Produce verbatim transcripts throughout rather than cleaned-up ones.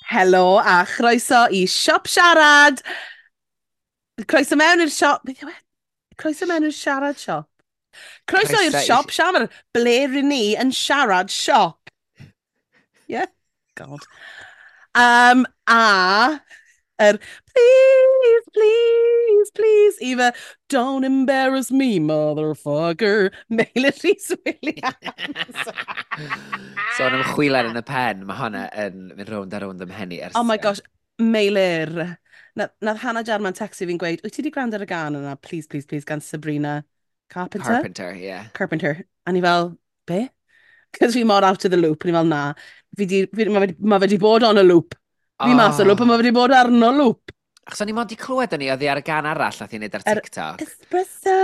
Helo a chroeso i Siop Siarad. Croeso mewn i'r siop... Beth yw e? Croeso mewn i'r siarad siop. Croeso i'r Croeso i- siop siarad. Ble ryn ni yn siarad siop. Yeah? God. Um, a... Er, please, please, please, Eva, don't embarrass me, motherfucker. Meilir Rhys Williams. Sôn am chwilen yn y pen, mae hwnna yn mynd rownd a rownd ym mhen i ers... Oh my gosh, Meilir. Na, nath Hannah Jarman textio fi'n gweud, "Wyt ti wedi gwrando ar y gân yna, please, please, please, gan Sabrina Carpenter?" Carpenter, yeah. Carpenter. A ni fel, "Be?" Cos fi mor out of the loop. A ni fel, "Na. Fi di, fi, mae fe, ma fe di bod on a loop. Fi mas o loop, a mae fe di bod arno loop." Achos o'n i mond i clywed o'n i, oedd hi ar y gân arall nath i wneud ar Yr- TikTok. Espresso.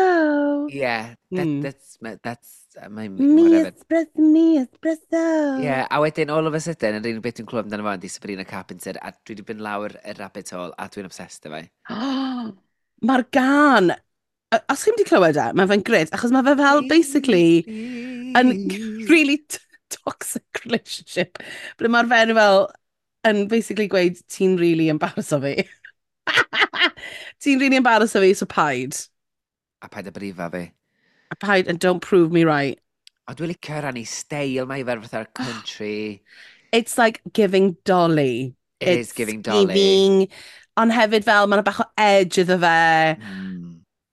Yeah, that, Mm. that's, that's, my, Me whatever. espresso, me espresso. Yeah, a wedyn, all of a sudden, yr unig beth dwi'n clywed amdano fo ydi Sabrina Carpenter, a dwi wedi mynd lawr y rabbit hole, a dwi'n obsessed efo hi. Mae'r gân, a- os chi'n wedi clywed e, mae fe'n grêt, achos mae fe fel, basically, yn really t- toxic relationship. Ble mae'r fenyw fel yn basically gweud, "Ti'n really embarrass o fi. Ti'n really embarrass o fi, so paid. A paid a brifa fi." A paid and don't prove me right." O, dwi'n licio rannu steil, mae i fel fatha'r country. It's like giving Dolly. It It's is giving Dolly. Giving, ond hefyd fel, mae'n bach o edge iddo fe. Mm.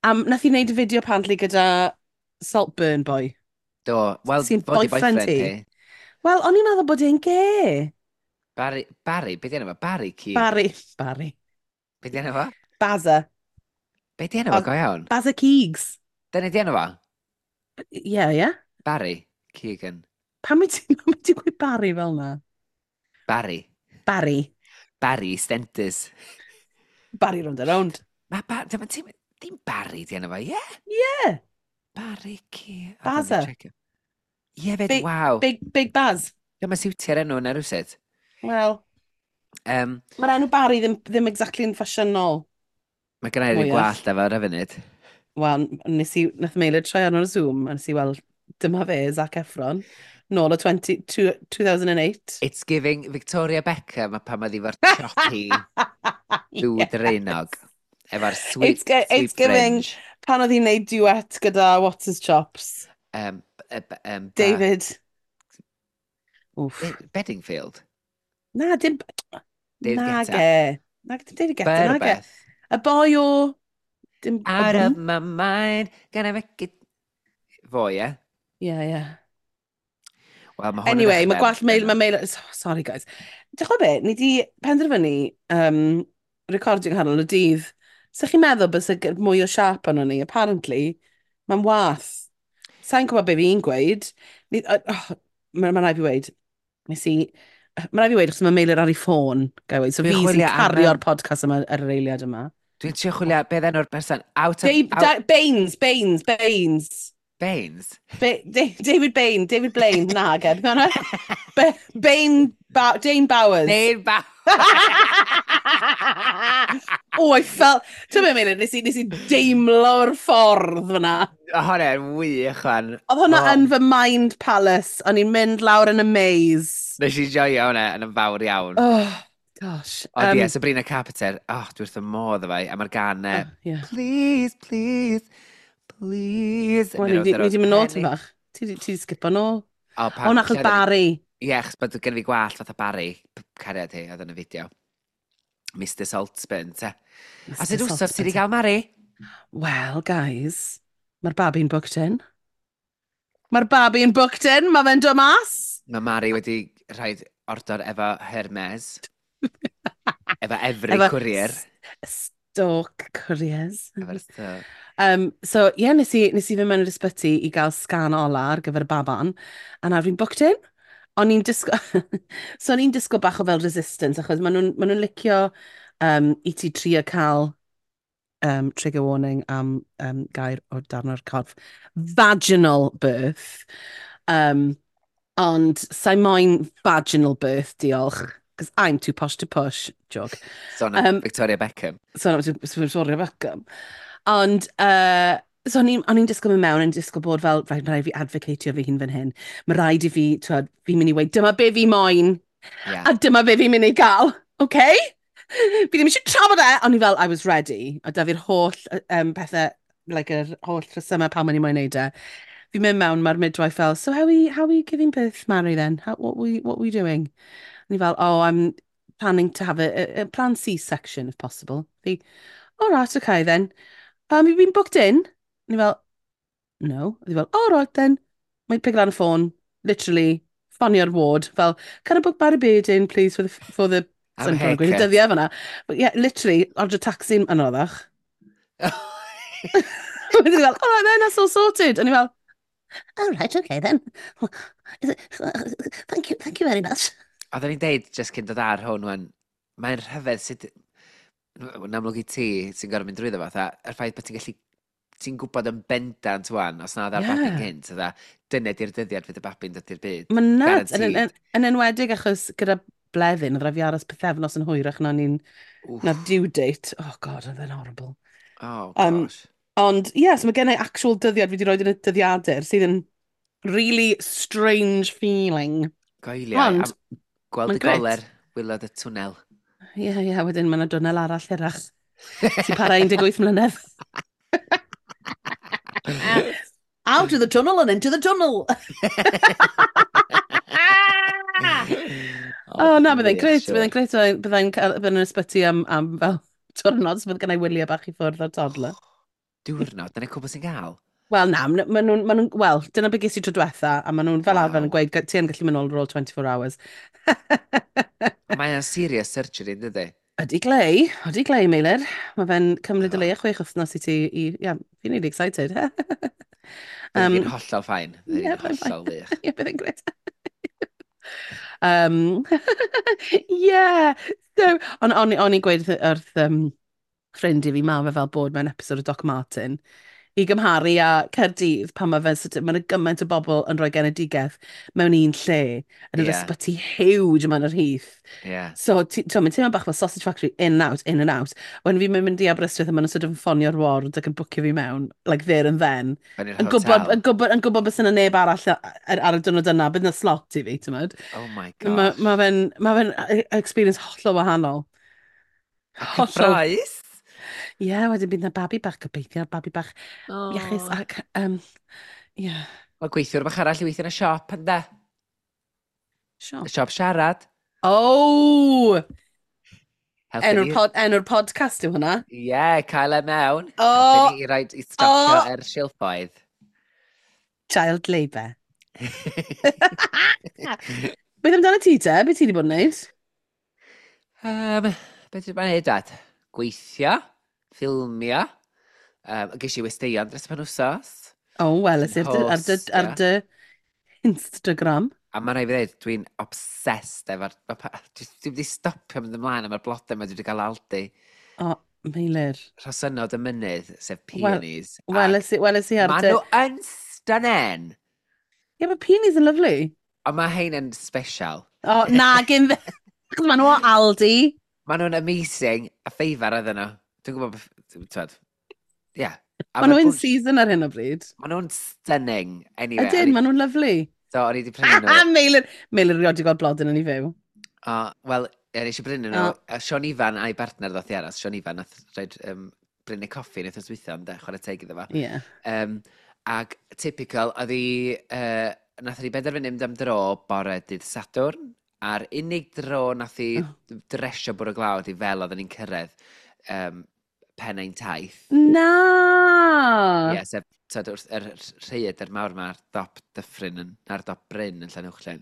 Um, nath i wneud y fideo apparently gyda Saltburn Boy. Do, wel, Sy'n fod i boyfriend boyfriend hi. hi. Wel, o'n i'n meddwl bod e'n gay. Barry, Barry, be di enw fo? Barry Keoghan? Barry. Barry. Be di enw fo? Bazza. Be di enw fo, Baz- go iawn? Bazza Keegs. Dyna di enw fo? Yeah, yeah. Barry Keoghan. Pam wyt ti'n pam wyt ti'n gweud Barry fel na? Barry. Barry. Barry Stenters. Barry round and round. Mae ba dim, dim, dim Barry di enw fo, ie? Yeah. Barry Keoghan. Bazza. Ie, fed, Big- waw. Big, Big Baz. Dyma siwtio'r enw yna rhywsut. Wel, Um, mae'r enw Barry ddim, ddim exactly yn ffasiynol. Mae gen i ryw Mwyach. gwallt efo ar y funud. Wel, nes i, nath Meilir troi arno'r Zoom, a nes i weld, dyma fe, Zac Efron, nôl o twenty, two, two thousand and eight. It's giving Victoria Beckham a pan oedd hi efo'r choppy dŵd Yes. rhinog. Efo'r sweet, It's, gi- sweet it's giving fringe. pan oedd hi'n neud duet gyda What's His Chops. Um, um, ba- David. Oof. Be- Bedingfield. Na, dim... David Nage. Guetta. Na, dim David Guetta, nage. Berbeth. Y boi o... Dim... Out of my mind, gonna make it. Fo, ie? Yeah, yeah. Wel, mae hwn yn Anyway, mae dechrau gwallt Meil... yn- Mae Meil... Sorry, guys. Dych be, ni di penderfynu um, recordio nghanol y dydd. So chi'n meddwl bys y mwy o siap arno ni? Apparently, mae'n wath. Sa'n gwybod be fi'n gweud. Ni, uh, oh, Mae'n ma rhaid fi weud. Nes i... Mae'n rhaid fi weud, achos mae Meilir ar ei ffôn, gai weud. So Dwi'n fi sy'n chwilio am, cario'r yym, podcast yma ar yr eiliad yma. Dwi'n trio chwilio, beth enw'r person? Out of... Dave, out, Da, Baines, Baines, Baines. Baines? Ba David Bain, David Blaine, na, ged. Ba Bain, ba Dane Bowers. Dane Bowers. Oh, I felt... Ti'n meddwl, Meilir, nes i, nes i deimlo'r ffordd fyna. O, hwnna'n wych, fan. Oedd hwnna Oh. yn fy mind palace. O'n i'n mynd lawr yn y maze. Nes i joio hwnna yn fawr iawn. Oh, gosh. Ond ie, Sabrina Carpenter, oh, dwi wrth y modd efo hi, a mae'r gân uh, Oh, yeah. "Please, please, please." Wel, ni di mynd nôl ti'n bach. Ti di ti di skipo nôl. O, O, na, achos Barry. Ie, achos bod gen fi gwallt fatha Barry, p- cariad hi, oedd yn y fideo. Mister Saltburn, te. A sut wsos ti wedi gael, Mari? Well, guys, mae'r babi'n booked in. Mae'r babi'n booked in, mae fe'n dod mas. Mae Mari wedi rhaid ordor efo Hermes. Efo every Efo courier. S- Stoke Couriers. Efo'r Stoke. Um, so, ie, yeah, nes i, nes i fynd mewn i'r ysbyty i gael sgan ola ar gyfer y baban, a nawr fi'n booked in. O'n i'n disgo... so o'n i'n disgo bach o fel resistance, achos maen nhw'n ma nhw licio um, i ti trio cael um, trigger warning am um, gair o darn o'r corff. Vaginal birth. Um, ond sa'i moyn vaginal birth, diolch. Because I'm too posh to push. Joke. Sôn am Um, Victoria Beckham. So, Victoria Beckham. Ond, uh, so o'n i'n o'n i'n disgwyl mynd mewn, yn disgwyl bod fel, "Rhaid, mae rhaid fi advocatio fi hun fan hyn. Mae rhaid i fi, twod, fi'n mynd i weud, dyma be fi moyn, Yeah. a dyma be fi'n mynd i gael." Okay? Fi ddim eisiau trafod e! O'n i fel, I was ready. A da fi'r holl um, pethau, like, yr holl rhesymau pam o'n i moyn neud e. Fi'n mynd mewn, mae'r midwife fel, "So how are we, how are we giving birth, Mary, then? How, what, we, what we doing?" And i fel, "Oh, I'm planning to have a, a, a planned C-section, if possible." Fi, "All right, okay then. Um, you've been booked in?" And i fel, "No." A fi fel, "All right then." Mae'n pick lan y ffôn, literally, ffonio'r ward, fel, "Can I book Barry Beard in, please, for the, for the" Am Sa'n gweud y haircut. dyddiau fyna. But yeah, literally, order taxi'n anoddach. Wedyn fel, "All right then, that's all sorted." And i fel, "All right, okay then. Thank you, thank you very much." Oedden ni'n deud, just cyn dod ar hwn, wan, mae'n rhyfedd sut, yn amlwg i ti sy'n gorfod mynd drwyddo fo, fatha, yr ffaith bod ti'n gallu, ti'n gwybod yn bendant wan, os na oedd ar Yeah. babi'n gynt, fatha, dyna di'r dyddiad fydd y babi'n dod i'r byd. Mae'n nuts. Yn, yn, Guaranteed. yn enwedig achos gyda Bleddyn, oedd rhaid fi aros pythefnos yn hwyrach na ni'n Wff. na'r due date. Oh God, oedd e'n horrible. Oh, Um, gosh. Ond, ie, yeah, so mae gen i actual dyddiad fi wedi rhoi yn y dyddiadur sydd yn really strange feeling. Goeliau. Ond, A gweld mae'n y grêt. goler, waelod y twnnel. Ie, yeah, ie, yeah, wedyn mae yna dwnnel arall hirach sy'n para un deg wyth mlynedd. Out of the tunnel and into the tunnel. Oh, na, byddai'n grêt, byddai'n grêt, byddai'n cael- byddai'n yn ysbyty am, am fel diwrnod, so bydd gennau wyliau bach i ffwrdd o'r toddler. Diwrnod, dyna cwbl sy'n gael. Wel, na, ma' nhw'n, ma nhw, wel, dyna be ges i tro diwetha, a maen nhw'n fel arfer yn Waw. gweud, ti yn gallu mynd nôl ar ôl twenty-four hours. Mae'n serious surgery, yn dydi? Ydy glei, ydy glei, Meilir. Mae fe'n cymryd o Oh. leia chwech wythnos i ti, i, yeah, fi'n really excited. Bydd Um, hi'n hollol fine. Bydd Ie, hi'n byddai'n fine. hollol wych. Ie, bydd e'n grêt. Um, yeah, so, ond o'n, o'n i'n gweud wrth, wrth um, ffrind i fi, ma fe fel bod mewn episode o Doc Martin, i gymharu â Caerdydd, pan mae fe, sort of, mae yna gymaint o bobl yn rhoi genedigaeth mewn un lle, yn yr Ie. ysbyty huge yma yn yr Heath. Ie. So, ti- t'mo, mae'n teimlo bach fel sausage factory, in and out, in and out. When fi'n mynd i Aberystwyth a maen nhw'n sort of yn ffonio'r ward ac yn bwcio fi mewn, like there and then. Fewn i'r Yn gwybod, hotel. yn gwybod, yn gwybod bys yna neb arall ar, ar y diwrnod yna, bydd yna slot i fi, ti'n gwybod? Oh my Mae gosh. ma fe'n ma fe'n experience hollol wahanol. A Hollol. cyffroes. Ie, yeah, wedyn bydd yna babi bach gobeithio, babi bach Oh. iachus ac, um, ie, yeah, Mae gweithiwr bach arall i weithio yn y siop, ynde? Siop. Y siop siarad. Oh! Helpu Enw'r ni. pod, enw'r podcast yw hwnna. Ie, yeah, cael e mewn. Oh! Helpu ni i roid i stocio Oh! yr silffoedd. Child labour. Beth amdano ti te? Beth ti wedi bod yn neud? Um, beth dwi'n neud, dad? Gweithio, ffilmio. Um, ges i westeion dros y penwsos. Oh, wel, Sy'n ar dy, ar dy, ar hostio. dy Instagram. A mae'n rhaid fi ddweud, dwi'n obsessed efo'r... ma' pa- Dwi dwi wedi stopio mynd ymlaen efo'r blodau yma dwi wedi cael Aldi. O, Meilir. Rhosynod y mynydd, sef Wel, peonies. Weles i, weles i ar Maen dy nhw yn stunning. Yeah, but peonies are lovely. Ond mae hein yn special. O, na, gyn... Achos maen nhw o Aldi. Maen nhw'n amazing. A ffeifar oedden nhw. Dwi'n gwybod... beth- Twed. Ie. A Maen nhw ma'r in bunch- season ar hyn o bryd. Maen nhw'n stunning. Anyway. Ydyn, o'n i- maen nhw'n lovely. So, o'n i wedi prynu nhw. Meilir, Meilir rioed wedi gweld blodyn yn ei fyw. O, wel, ie, nes i brynu nhw. O. A Sean Ifan a'i bartner ddoth i aros. Sean Ifan nath rhaid um, brynu coffi yn wythnos dwytha, ynde, chwarae teg iddo fo. Ie. Um, ac typical, oedd hi, uh, nath hi benderfynu mynd am dro bore dydd Sadwrn, a'r unig dro nath hi Oh. dresio bwrw glaw i fel oedden ni'n cyrraedd um, pen ein taith. Na! Ie, yeah, sef tyd, wrth yr rhaeadr mawr yma ar dop dyffryn, yn, ar dop bryn yn Llanuwchllyn.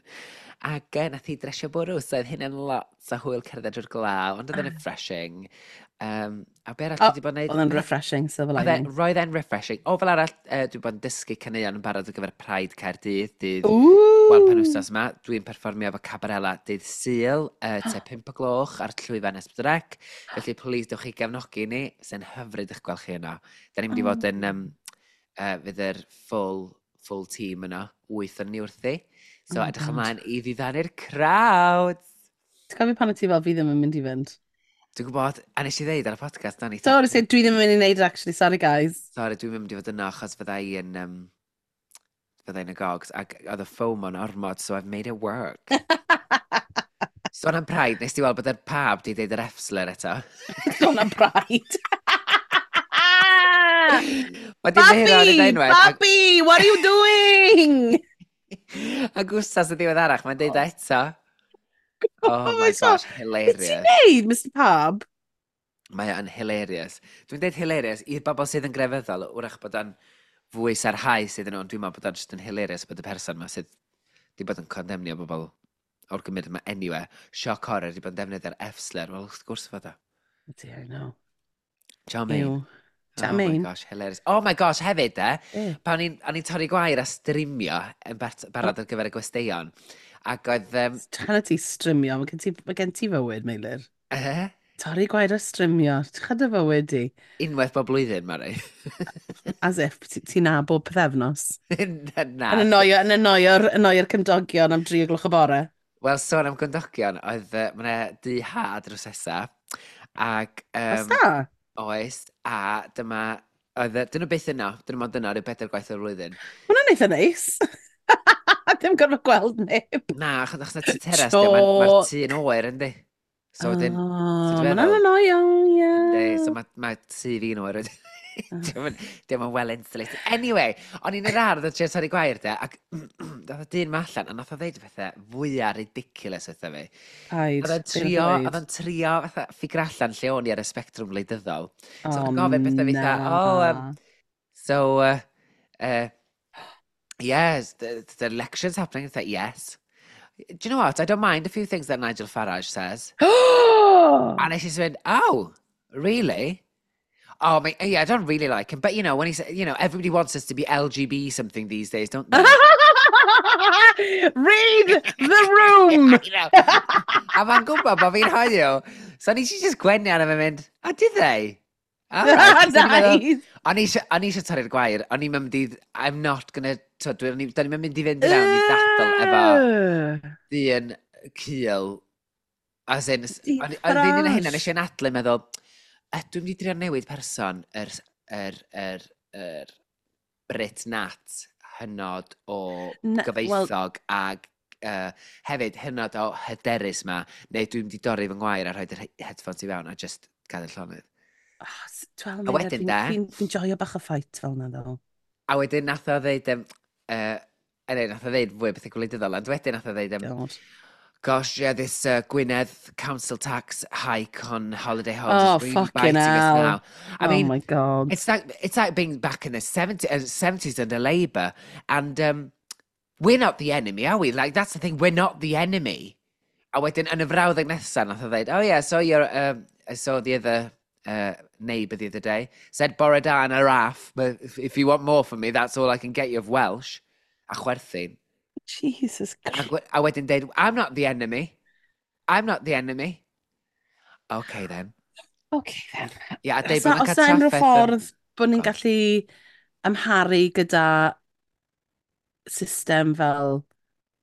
Ac uh, nath hi dresio bwrw, so oedd hynny'n lot o hwyl cerdded drwy'r glaw, ond oedd e'n refreshing. Um, a be arall O, dwi wedi bod yn neud? Oedd e'n refreshing, silver Oedd e- lining. roedd e'n refreshing. O, fel arall, uh, dwi wedi bod yn dysgu caneuon yn barod ar gyfer Pride Caerdydd, dydd Ooh! wel, penwythnos yma. Dwi'n perfformio efo Cabarella dydd Sul, uh, te pump o gloch ar llwyfan S pedwar C. Felly, please, dewch chi gefnogi ni. Sy'n hyfryd eich gweld chi yno. Da ni'n mynd i fod yn, um, uh, fydd yr full, full team yno, wyth o'n ni wrthi. So, Oh my edrych God. ymlaen i ddiddanu'r crowd. Ti'n cofio pan o ti fel, "Fi ddim yn mynd i fynd"? Dwi'n gwybod, a nes i ddeud ar y podcast, na ni. Sorry, say, dwi ddim yn mynd i wneud it, actually, sorry guys. Sorry, dwi'n mynd i fod yno achos fydda i yn... Um, fydda i'n y gogs, ac oedd y FOMO'n ormod, so I've made it work. Sôn am Pride, nes ti weld bod yr pab di deud yr F-slur eto? Sôn am Pride. Mae di ymddiheuro ar ei Babi! unwaith. Ac, Babi! What are you doing? Ac wsos y ddiweddarach, mae'n deud o eto. Oh Oh my my gosh, God. Be ti'n hilarious. neud, Mister Pab? Mae o'n hilarious. Dwi'n deud hilarious i'r bobl sydd yn grefyddol, wrach bod o'n fwy sarhaus iddyn nhw, ond dwi'n meddwl bod o'n just yn hilarious bod y person yma sydd wedi bod yn condemnio bobl o'r gymuned yma anyway. Shock horror, wedi bod yn defnyddio'r F-slur. Wel, wrth gwrs fod o. Ydy, I know. Charmaine. Ew. Oh my Charmaine. gosh, hilarious. Oh my gosh, hefyd de, Eh. pan o'n i'n torri gwair a strimio yn barod ar gyfer y gwesteion, ac oedd... Um, Tan ti strimio, mae gen ti, mae gen ti fywyd, Meilir. Eh? Torri gwair a strimio, ti'n dy fywyd di. Unwaith bob blwyddyn, Mari. As if ti'n nabod pythefnos. Na. Yn annoio, yn annoio'r, annoio'r cymdogion am dri o gloch y bore. Wel, sôn am gymdogion, oedd uh, ma' 'na dŷ ha drws nesa, ac... Oes Um, da? Oes, a dyma... Oedd, dyn nhw byth yno, dyn nhw mond yno rhyw bedair gwaith o'r flwyddyn. Hwna'n eitha neis. Dim gorfod gweld neb. Na, achos achos na tŷ teras, mae'r ma tŷ yn oer, yndi? So wedyn, Oh, so ma' hwnna'n annoying, ie. Yndi, so mae ma tŷ fi'n oer wedyn. Diolch yn well insulated. Anyway, o'n i'n yr ardd yn trio torri gwair de, ac dath y dyn ma allan, a nath o ddeud pethau fwyaf ridiculous wrtho fi. Paid. Oedd o'n trio, oedd o'n trio fatha ffigur allan lle o'n i ar y spectrwm wleidyddol. So oedd o'n gofyn pethau fatha, "Oh, um, so, uh, uh, yes, the, the election's happening." It's like, "Yes. Do you know what? I don't mind a few things that Nigel Farage says." A nes i mynd, "Oh, really? Oh, mate, yeah, I don't really like him. But, you know, when he said, you know, everybody wants us to be L G B something these days, don't they?" Read the room! I know. A mae'n gwybod bod fi'n hoyw. So nes i just gwenu arno fe mynd, "Oh, did they? All right." Nice! O'n i eisiau torri'r gwair, o'n i'n mynd i, I'm not gonna, to, dwi'n ni'n mynd i fynd i fewn i ddadl efo dyn cul. As in, o'n i'n un o hynna, nes i anadlu meddwl, dwi'n mynd i drio newid person yr, yr, yr, yr Brit Nat hynod o gyfoethog, well, ag uh, hefyd hynod o hyderus ma, neu dwi'n mynd i dorri fy ngwair a rhoi yr headphones i fewn a just gadael llonydd. Oh, a wedyn de... Fi'n fi joio bach o fight fel yna, ddo. A wedyn nath o ddeud... Um, uh, anyway, nath o ddeud fwy o bethau gwleidyddol, ond wedyn nath o ddeud... Um, God. "Gosh, yeah, this uh, Gwynedd council tax hike on holiday homes Oh, is really fucking biting us hell. now. I Oh mean, my God. it's like, it's like being back in the seventies, uh, seventies under Labour, and um, we're not the enemy, are we? Like, that's the thing, we're not the enemy." A wedyn, yn y frawddeg nesaf, nath o ddeud, "Oh yeah, so your, um, I saw the other uh, neighbour the other day, said bore da and araf, but if, if you want more from me, that's all I can get you of Welsh." A chwerthin. Jesus A, Christ. a wedyn deud, "I'm not the enemy. I'm not the enemy. Okay then." Okay then. Ie, yeah, a deud Os bod nhw'n oes cael na unrhyw trafferth yn ffordd bod ni'n Go on. gallu amharu gyda system fel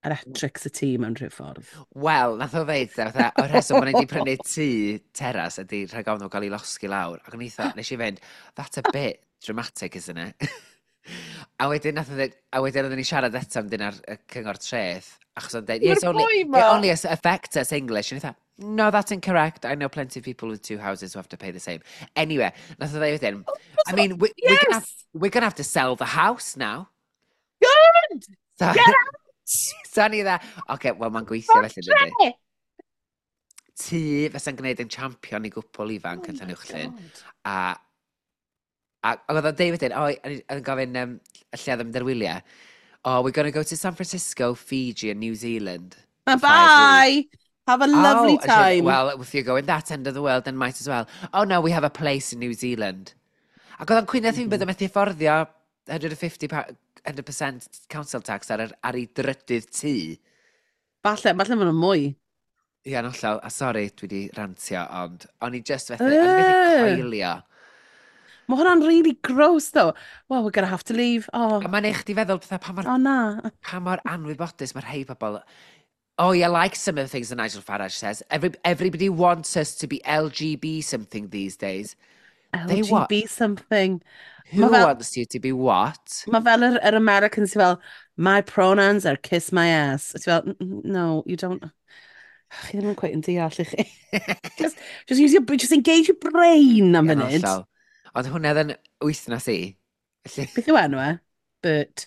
electrics y tŷ mewn rhyw ffordd? Wel, nath o ddeud, fatha, o'r rheswm bod ni wedi prynu tŷ teras ydy rhag ofn nhw gael ei losgi lawr. Ac o'n i eitha, nes i fynd, "That's a bit dramatic, isn't it?" A wedyn nath o ddeud, a wedyn oedden ni siarad eto am dyn ar y cyngor treth, achos o'n dweud, Mae'r "Yes, only, boi it ma. only affects us English." And I thought, "No, that's incorrect. I know plenty of people with two houses who have to pay the same." Anyway, nath o ddeud wedyn, "I mean, we, we're, gonna have, Yes! we're gonna have to sell the house now." Good! So, Get out! So ni dda, oce, wel mae'n gweithio felly, dydy. Tre! Tŷ fysa'n gwneud yn champion i gwpl ifanc Oh yn my Llanuwchllyn. God. A, a, ac oedd o'n deud wedyn, o, o'n i- oedd yn gofyn um, lle oedd yn mynd ar wyliau. "Oh, we're going to go to San Francisco, Fiji and New Zealand for five weeks." Bye! Have a lovely "Oh," and she went, time. "Well, if you're going that end of the world, then might as well. Oh no, we have a place in New Zealand." Ac oedd o'n cwyno mm Mm -hmm. bydd yn methu fforddio one hundred fifty pa- one hundred percent council tax ar, ar ei drydydd tŷ. Falle, falle maen nhw'n mwy. Ie, yn hollol, a sori, dwi wedi rantio, ond o'n i just fethu, o'n i methu Uh, coelio. Mae hwnna'n really gross though. "Well, we're gonna have to leave." Oh, A mae'n eich di feddwl pethau pa mor, oh na. pa mor anwybodus mae rhai pobl. "Oh, yeah, like some of the things that Nigel Farage says. Every, everybody wants us to be L G B something these days." They what? L G B something. Who Ma fel, wants you to be what? ma fel yr, yr Americans sy'n fel, "My pronouns are kiss my ass." Ti'n fel, "N- n- no, you don't." Chi ddim yn quite yn deall i chi. Just, just use your, just engage your brain am Ia'n funud. hollol. Ond hwnna oedd yn wythnos i. Felly, Beth yw enw e? Bert.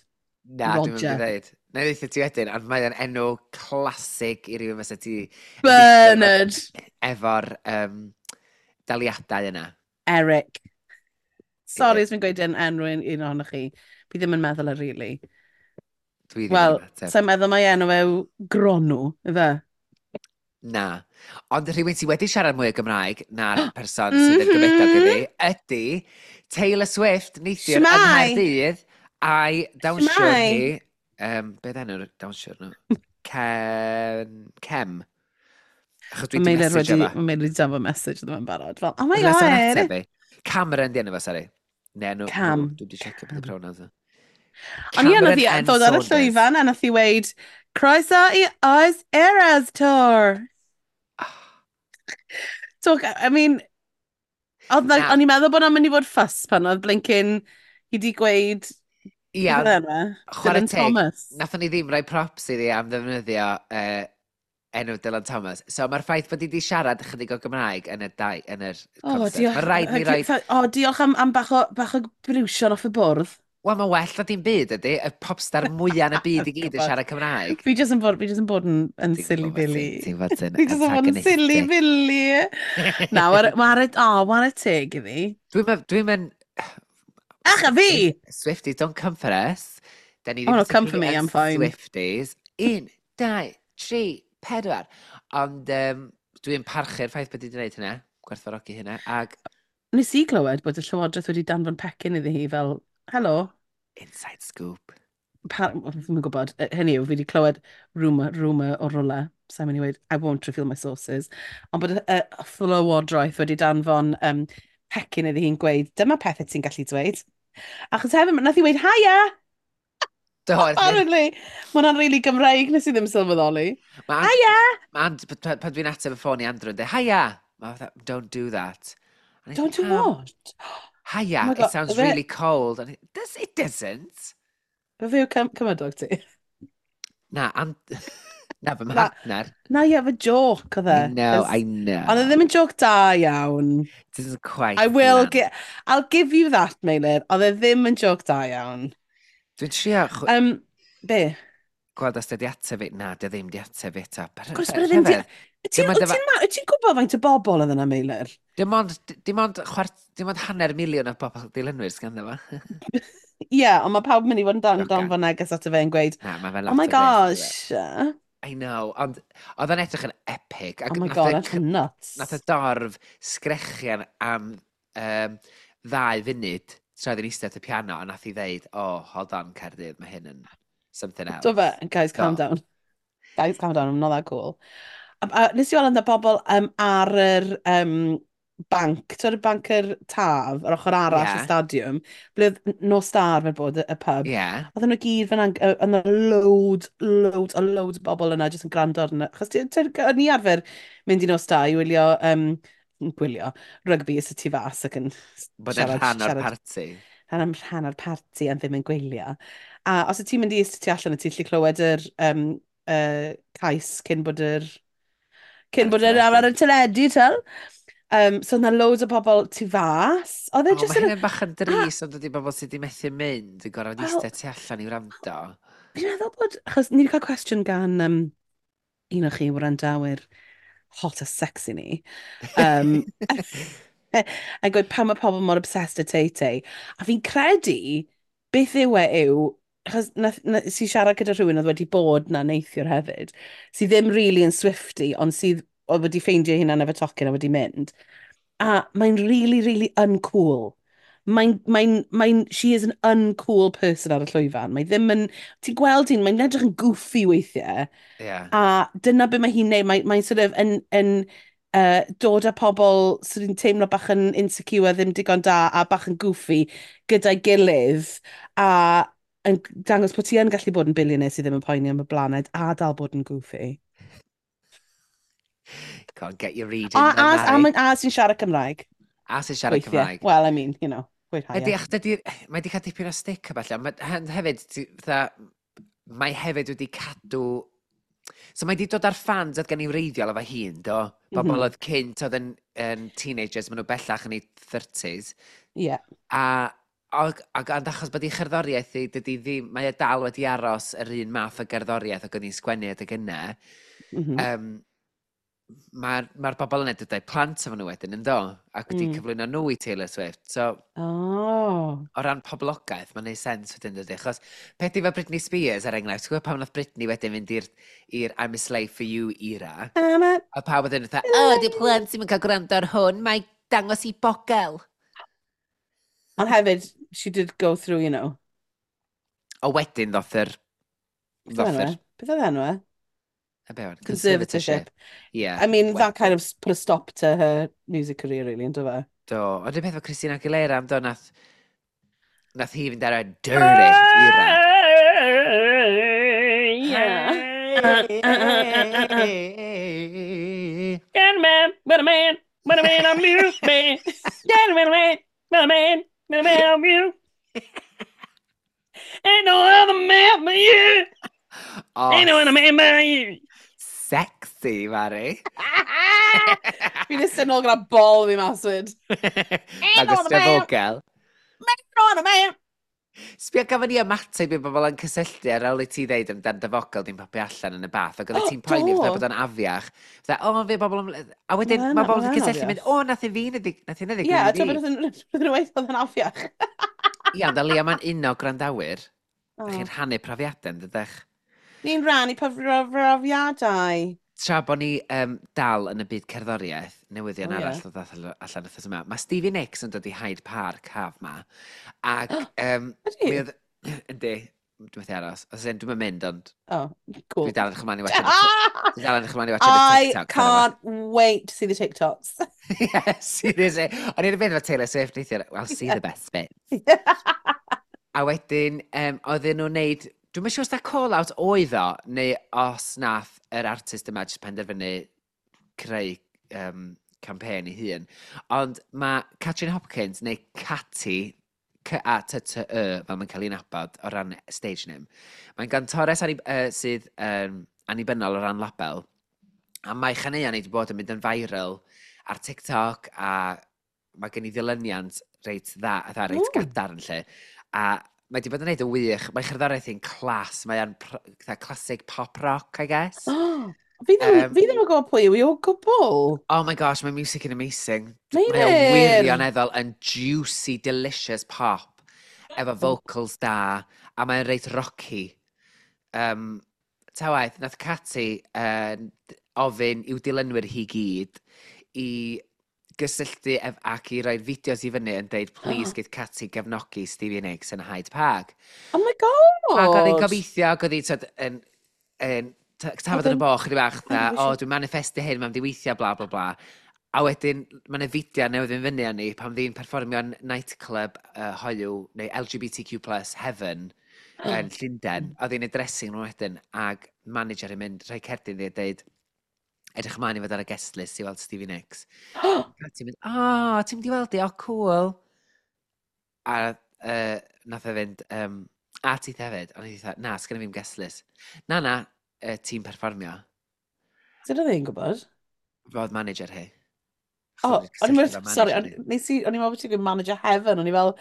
Na, dwi'n mynd i Roger. ddweud. Na i ddeutha ti wedyn, ond mae o'n enw classic i rywun fysa ti yn disgwyl fod Bernard. efo'r um, daliadau yna. Eric. Sorry Ie, os fi'n gweud yn enw un un ohonoch chi. Fi ddim yn meddwl e, really. Dwi ddim yn Wel, ymateb. sa'n meddwl mai enw yw Gronw, ife? Na. Ond rhywun sydd wedi siarad mwy o Gymraeg na'r person sydd yn gymydog Mhm. iddi ydy Taylor Swift neithiwr yng Shwmae? Nghaerdydd a'i dawnsiwr Shwmae? hi. Um, beth enw'r dawnsiwr nhw? Ken... Kem. Achos dwi Mae wedi Meilir message wedi, efo. mae Meilir wedi danfon message iddo fe'n barod. Fel, oh my Unless o'n God. ateb fi. Cameron di enw fo, sori. Neu enw nhw. Cam. Dwi wedi checio beth y Cam. pronouns. Ond ie, nath Cameron hi N. ddod ar y Saunders. llwyfan a nath hi weud, "Croeso i Oes Eras Tour." Oh, Talk, I mean, oedd like, na, o'n i'n meddwl bod o'n mynd i fod fuss pan oedd blinking hi di gweud, ia, beth oedd enw e? Chwarae Dylan teg, Thomas. nathon ni ddim rhoi props iddi am ddefnyddio uh, enw Dylan Thomas. So mae'r ffaith bod hi wedi siarad ychydig o Gymraeg yn y, dau, yn yr O, concert. diolch. Mae rhaid ni roi. O, diolch am, am bach o, bach o briwsion off y bwrdd. Wel, mae well na dim byd ydy. Y popstar mwyaf yn y byd i gyd yn Gwbod. siarad Cymraeg. Fi jyst yn bod, fi jyst yn bod yn, yn Ti'n silly gwybod ti'n billy. ti'n fod yn Fi jyst yn bod yn silly antagonistic. billy. Na, ware, ware, o, ware teg iddi. Dwi'n dwi'n mynd. Ach, a fi! Swifties, Swifties, don't come for us. Da ni Oh ddim no, come for particularly me, yn I'm fine. Swifties. Un, dau, tri, pedwar. Ond um, dwi'n parchu'r ffaith bod hi wedi gwneud hynna. Gwerthfawrogi hynna. Ag Nes i glywed bod y Llywodraeth wedi danfon pecyn iddi hi fel, "Helo," inside scoop. Pa, ddim yn gwybod, yy, hynny yw, fi wedi clywed rumour, rumour o rwle, sa'n mynd i weud, I won't reveal my sources, ond bod y, y Llywodraeth wedi danfon um, pecyn iddi hi'n gweud, "Dyma pethau ti'n gallu dweud." Achos hefyd, nath hi weud, "Haia!" Do, Apparently, mae hwnna'n really Gymraeg, nes i ddim sylweddoli. Mae "Haia!" Ma And, pan pan dwi'n ateb y ffôn i Andrew yn dweud, "Hiya!" Mae fatha, "Don't do that." A Don't do "Pam?" what? Oh "Hiya, my it God, sounds fe, really cold." And it, does, it doesn't. Fe yw cym cymydog ti? Na, and, na, fy Na, mhartner. na ie, fe joke oedd I e. know, 'Cos I ond oedd know. ddim yn joke da iawn. This is quite I will land. get, I'll give you that, Meilir. Oedd e ddim yn joke da iawn. Dwi'n trio chw- Um, be? Gweld os di ateb fi. Na, di ddim di ateb fi eto. Of course, bod e ddim di. Rhyfedd. Wyt ti'n Dim ond wyt efo ti'n ma- wyt ti'n gwybod faint o bobl oedd yna, Meilir? Dim ond, dim ond, chwart, dim ond hanner miliwn o bobl dilynwyr sganddo fo. Ie, yeah, ond mae pawb yn mynd i fod yn dan, Jocan. danfon neges ato fe yn gweud, Na, mae fe'n "Oh my lot o bres, gosh. I know, ond oedd o'n edrych yn epic. Oh Ac my nath God, y, that's nuts." nath y dorf sgrechian am um, ddau funud tra oedd hi'n eistedd at y piano, a nath hi ddeud, "Oh, hold on, Caerdydd, mae hyn yn something Do fe, else." "Guys, calm Do. down. Guys, calm down, I'm not that cool." A, a nes i weld yna bobl um, ar yr um, banc, ti'n y banc yr Taf, yr ochr arall y Ie, stadiwm, ble oedd Nos Da arfer bod y, y pub. ie. Oedden nhw gyd fyna, yna loads, loads a loads o bobl yna jyst yn gwrando arno. Achos ti- ti- o'n i arfer mynd i Nos Da i wylio, um, gwylio rygbi y tu fas ac yn Bod yn siarad, rhan o'r siarad parti. rhan am rhan o'r parti a ddim yn gwylio. A os y ti'n mynd i eistedd tu allan, ti'n gallu clywed yr um, uh, cais cyn bod yr cyn Ar y bod yr ar teledu. y teledu, tel. Um, so yna loads o bobl tu fas. Oedd e O, jyst mae yn... hynny'n bach yn A, drist, ond dydy bobl sydd wedi methu mynd yn gorfod wel, eistedd tu allan i wrando. Fi'n meddwl bod... Achos ni wedi cael cwestiwn gan um, un o chi wrandawyr hot a sexy ni. Um, a gweud pam mae pobl mor obsessed â Tay-Tay. A fi'n credu beth yw e yw, achos nath, nath, si siarad gyda rhywun oedd wedi bod na neithiwr hefyd, sydd ddim really yn Swiftie, ond sydd oedd wedi ffeindio hunan efo tocyn a wedi mynd. A mae'n really, really uncool. Mae'n, mae'n, mae'n, she is an uncool person ar y llwyfan. Mae ddim yn, ti'n gweld hi'n, mae'n edrych yn goofy weithiau. Ie. A dyna be mae hi'n neud. Mae'n mae sort of yn, yn uh, dod â pobl sydd yn teimlo bach yn insecure, ddim digon da, a bach yn goofy gyda'i gilydd. A yn dangos bod ti yn gallu bod yn billionaire sydd ddim yn poeni am y blaned a dal bod yn goofy. Can't get your A, reading a, then, a, Mari. a, a sy'n siarad Cymraeg. A sy'n siarad Weithiau. Cymraeg. Well, I mean, you know, gweud Ydy, haia. ach, dydy, mae wedi cael dipyn o stick a falle. Mae, hefyd, ti- fatha, mae hefyd wedi cadw. So mae di dod ar fans oedd gen i wreiddiol efo hun, do? Bobl mm Mhm. oedd cynt oedd yn, yn teenagers, maen nhw bellach yn eu thirties. Yeah. A, ac, ac ond achos bod ei cherddoriaeth hi, dydy ddim, mae e dal wedi aros yr un math o gerddoriaeth ac oedd hi'n sgwennu adeg yna. Mm -hmm. Um, Mae'r ma bobl yna dod â'u plant efo nhw wedyn, yn do? Ac wedi Mm. cyflwyno nhw i Taylor Swift. So, Oh. o ran poblogaeth, mae'n neud sens wedyn, dydy? Achos peth i fel Britney Spears, er enghraifft, ti'n gwybod pam nath Britney wedyn fynd i'r i'r I'm a Slave for You era? I'm a A pawb wedyn fatha, "O, oh, di plant ddim yn cael gwrando ar hwn, mae dangos i bogel." Ond hefyd, she did go through, you know. O wedyn ddoth yr Beth oedd ddoth enw yr e? Beth oedd enw e? Y be o'n? Conservatorship. Yeah. I mean, that kind of put a stop to her music career, really, ynddo fe? Do. Ond y peth efo Christina Aguilera am do, nath, nath hi fynd ar y dirty era. Yeah. Uh, uh, uh, uh, uh. Get a man, but a man, but a man, I'm you, man. Get a man, man, but a man, but a man, I'm you. Ain't no other man but you. Oh, Ain't no other man but you. Sexy, Mari. Fi'n eistedd nôl gyda bol fi mas fyd. Ain't no other man. Vogel. No other man. Sbio, gafon ni ymateb i bobl yn cysylltu ar ôl i ti ddeud amdan dy fogel di'n popio allan yn y bath, ac oedd ti'n poeni Do. fatha bod o'n afiach. Fatha, o, fe bobl yn. A wedyn, Ma' mae bobl ma' yn yn cysylltu mynd, afiach. "O, nath i fi nath i hynna Ie, ddigwydd a i ti'n fi." bod yn rhywbeth oedd yn afiach. Ia, ond o leia mae'n uno gwrandawyr. Oh. Chi'n rhannu profiadau, yn dydych? Ni'n rhannu profiadau. Tra bod ni um, dal yn y byd cerddoriaeth, newyddion O, ie. arall oedd allan allan wythnos yma, mae Stevie Nicks yn dod i Hyde Park haf ma, ac um, Ydy? mi oedd. Yndi, dwi'n methu aros. Os ydyn, dwi'n mynd, ond Oh, cool. dwi dal yn edrych ymlaen i watch y Dwi dal yn edrych ymlaen i watch y I TikToks. can't wait to see the TikToks. Yeah, seriously. O'n i'n beth efo Taylor Swift neithiwr, "I'll see the best bit." A wedyn, um, oedden nhw'n neud. Dwi'n siŵr os da call-out oedd o, neu os nath yr artist yma jyst penderfynu creu um, campaign ei hun. Ond mae Catrin Hopkins, neu Catty, C A T T Y, fel mae'n cael ei nabod o ran stage name. Mae'n gantores anni, uh, sydd um, annibynnol o ran label. A mae chaneuon wedi bod yn mynd yn viral ar TikTok a mae gen i ddilyniant reit dda, dda reit Ww. gadarn lle. A mae wedi bod yn neud yn wych. Mae cherddoriaeth hi'n class. Mae o'n fatha classic pop rock, I guess. Oh, fi ddim, Yym, fi ddim yn gwybod pwy yw hi o gwbl. Oh my gosh, mae music yn amazing. Mae o Meilir! wirioneddol yn juicy, delicious pop. Efo vocals da, a mae'n reit rocky. Um, ta waeth, nath Catty uh, ofyn i'w dilynwyr hi gyd i gysylltu ef ac i roi'r fideos i fyny yn deud, "Please, geith Catty gefnogi Stevie Nicks yn Hyde Park." Oh my God! Ac oedd hi'n gobeithio, ac oedd hi'n tyd, yn, yn t- tafod yn y Oedd yn- boch, chydig bach, Oedd dda, yn "O, dwi'n manifestu hyn, mae'n di weithio," bla, bla, bla. A wedyn, mae'n y fideo newydd yn fyny arni pan ddi'n perfformio yn nightclub uh, hoyw, neu L G B T Q plus Heaven, yn Llundain. Oedd hi'n y dressing room wedyn, ag manager yn mynd, rhoi cerdyn iddi a deud, "Edrych ymlaen i fod ar y guest list i weld Stevie Nicks." A ti'n mynd, "O, ti'n mynd i weld i, o, cool." A uh, nath e fynd, um, "A ti hefyd?" O'n i dweud, "Na, sgynna fi'm guest list." "Na, na, uh, ti'n perfformio." Sut oedd hi'n gwybod? Fod manager hi. O, o'n i'n meddwl, sorry, o'n- nes i, o'n i'n meddwl bod ti'n gweud manager heaven, o'n i fel,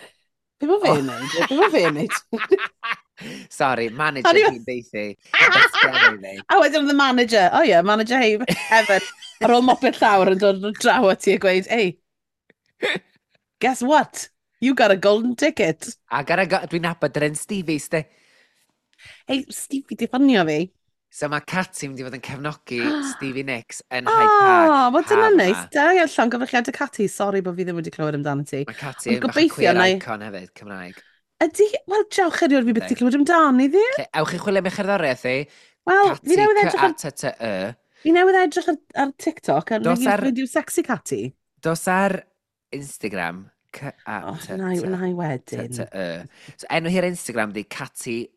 "Be mae fe'n neud? Be mae fe'n neud?" Sorry, manager O'n i fel- hi'n deithi. Datgelu fi. A wedyn oedd the manager, oh yeah, manager heaven, ar ôl mopio'r llawr yn dod draw at ti a gweud, "Hey, guess what? You got a golden ticket." Ac ar y go- dwi'n nabod yr un Stevie, sti. Hey, Stevie, di ffonio fi. So mae Catty mynd i fod yn cefnogi Stevie Nicks yn Hyde Park Oh, wel dyna haf neis. yma. Da iawn, llongyfarchiadau Catty. Sorry bod fi ddim wedi clywed amdano ti. Mae Catty Ond yn bach o gobeithio queer wna i- icon hefyd, Cymraeg. Ydy, wel, diolch erioed fi byth Yndi. wedi clywed amdani ddi. Lle, ewch i chwilio am ei cherddoriaeth hi. Wel, fi Catty, newydd edrych ar, C A T T Y. fi newydd edrych ar, ar TikTok a Dos nag ar- yw sexy Catty. Dos ar Instagram, Oh, C A T T na, i- na i wedyn. T T Y. So enw hi'r Instagram di catty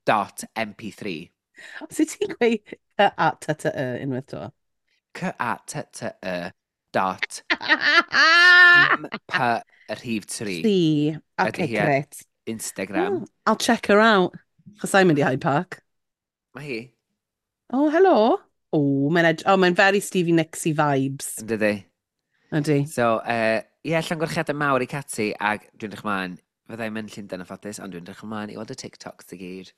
dot M P three. Sut ti'n gweud C A T T Y unwaith to? C A T T Y dot M P y rhif tri. Tri. Ydy Okay, hi ar great. Instagram. Oh, I'll check her out. Chos I'm mynd i Hyde Park. Mae hi. Oh, helo. Oh, mae'n ed- oh, mae'n very Stevie Nicksy vibes. Yn dydi? Ydy. So, uh, ie, yeah, llongyfarchiadau mawr i Cati, ac dwi'n edrych ymlaen, fyddai'n mynd Llundain yn ffodus, ond dwi'n edrych ymlaen i weld y TikToks i gyd.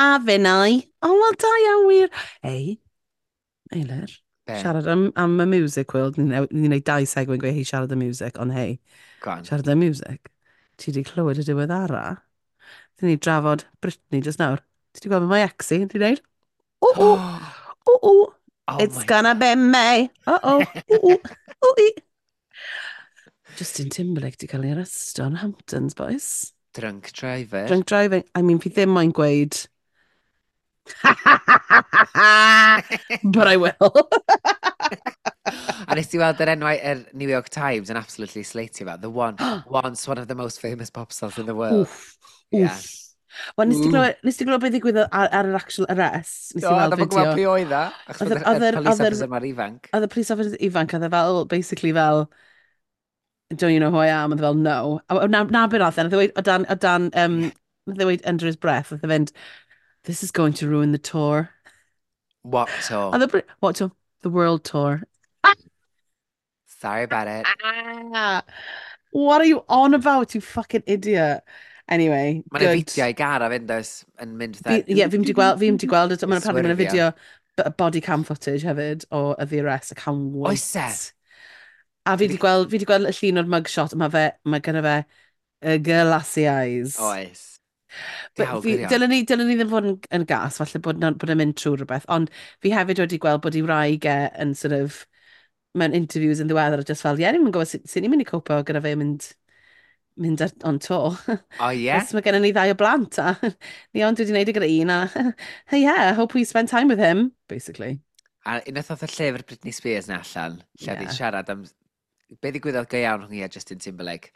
A finnau. Oh, wel, da iawn wir. Ei, Eilir, Be? Siarad am, am y music world. Ni'n ni wneud dau segue yn gweud, "Hei, siarad am music," ond hei, Go on. Siarad am music. Ti wedi clywed y diweddara? Dyn ni drafod Britney just nawr. Ti wedi gweld mae ex hi, di wneud? O, o, o, o. Oh It's my gonna God. Be May. Oh, oh, o, o, o, i. Justin Timberlake di cael ei arresto yn Hamptons, boys. Drunk driver. Drunk driving. I mean, fi ddim moyn gweud. But I will. A nes ti weld yr enwau yr New York Times yn absolutely slatio fe? The one, once one of the most famous pop stars in the world. Oof. Yeah. Oof. Wel, nes ti Ooh. glywed, nes ti glywed beth ddigwyddodd ar, ar yr actual arrest? Nes Do, ti weld ddim yn gwybod fideo? pwy oedd o. Achos Oedd bod yr- y oedd yr- police oedd yr- officer mor ifanc. Oedd y police officer ifanc, oedd e fel, basically fel, "Don't you know who I am?" Oedd e fel, "No." A, na, na beth nath e, nath e weud, o dan, o dan, um, nath e weud under his breath, nath e fynd, "This is going to ruin the tour." What tour? Oedd e, what tour? The world tour. Sorry about it. Ah, what are you on about, you fucking idiot? Anyway, Mae'n good. fideo i gar a fynd oes yn mynd Fi, fatha. ie, fi'n mynd i gweld, fi'n mynd i gweld, mae'n apparently mae'n Swyrfio. fideo b- body cam footage hefyd o the arrest, I can't wait. Oes e? A fi wedi gweld, fi wedi gweld y llun o'r mugshot, mae fe, mae gynno fe y glassy eyes. Oes. But Diawl fi, gwirion. dylen ni, dylen ni ddim fod yn, yn gas, falle bod, na- bod e'n mynd trwy rhywbeth, ond fi hefyd wedi gweld bod ei wraig e yn sort of, mewn interviews yn ddiweddar, just fel, ie, ni'n gwybod sut, sut ni'n mynd i copo gyda fe mynd, mynd ar, on tour. O ie? Cos mae gennym ni ddau o blant, a ni ond wedi gwneud e gyda un, a hey, yeah, I hope we spend time with him, basically. A unwaith oedd y llyfr Britney Spears na allan, lle oedd hi'n Ie. siarad am be ddigwyddodd go iawn rhwng hi a Justin Timberlake.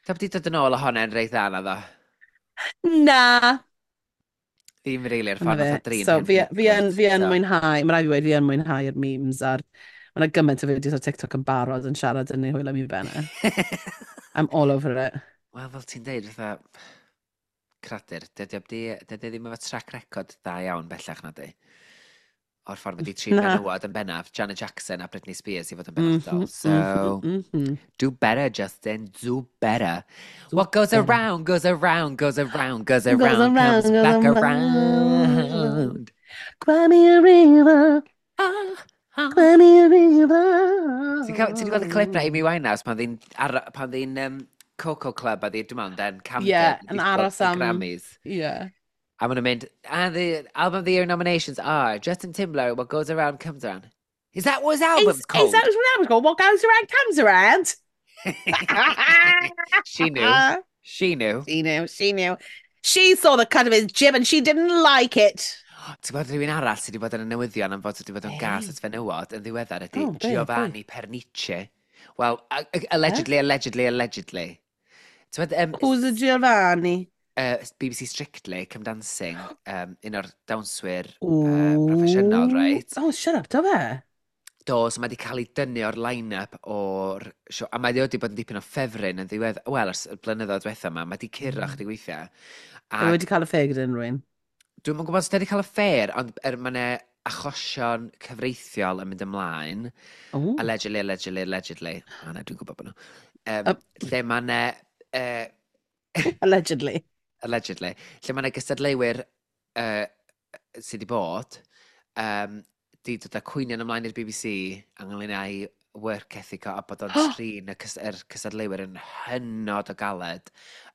Da wedi dod yn ôl o hwnna yn reit dda na ddo. Na! Ddim rili'r Dyna ffordd fe. nath o drin So, fi, Henry fi yn, fi yn so. mwynhau, mae rhaid fi weud, fi yn mwynhau'r memes a'r. Mae yna gymaint o fideos ar TikTok yn barod yn siarad yn ei hwyl am ei ben e. I'm all over it. Wel, fel ti'n deud, fatha cradur, dydy o dydy o ddim efo track record da iawn bellach na di. O'r ffordd wedi trin Na. menywod yn bennaf, Janet Jackson a Britney Spears i fod yn benodol. Mhm, So, mhm, mhm. do better, Justin, do better. Do What goes better. around, goes around, goes around, goes Goes around, around, comes goes back around. around. Cry me a river, Ah, ah. cry me a river. Ti'n cael- ti wedi gweld y clip na Amy Winehouse pan ddi'n ar- pan ddi'n um, Coco Club a ddi, dwi'n meddwl, den Camden. Yeah, yn yn disgwyl aros y am- Grammys. Yeah. A maen nhw'n mynd, "And the album of the year nominations are Justin Timberlake, What Goes Around Comes Around." Is that what his album's Is, called? is that what album's called? What goes around comes around. She knew. She knew. She knew, she knew. She saw the cut of his jib and she didn't like it. Ti'n gwybod rhywun arall sydd wedi bod yn y newyddion am fod wedi bod yn gas Hey. at fenywod yn ddiweddar ydy Oh, be? Giovanni Pernice. Well, a- a- allegedly, allegedly, allegedly. Ti'n gwybod, um, Who's the Giovanni? uh, B B C Strictly Come Dancing, um, un o'r dawnswyr uh, proffesiynol, right? Oh, shut up, do fe? Do, so mae wedi cael ei dynnu o'r line-up o'r sio. A mae wedi bod yn dipyn o ffefryn yn ddiwedd. Wel, ers y blynyddoedd diwetha yma, mae wedi curo mm. chydig weithiau. A Ac wedi cael affair gyda unrhyw un. Dwi'm yn gwybod os wedi cael affair, ond er, mae yna achosion cyfreithiol yn mynd ymlaen. Oh. Allegedly, allegedly, allegedly. O, na, dwi'n gwybod bod nhw. Um, Uh, lle mae yna... Uh, Allegedly. Allegedly. Lle mae yna gystadleuwyr uh, sydd wedi bod, um, di dod â cwynion ymlaen i'r B B C ynglyn â'i work ethic o a bod o'n trin y cys yr cystadleuwyr yn hynod o galed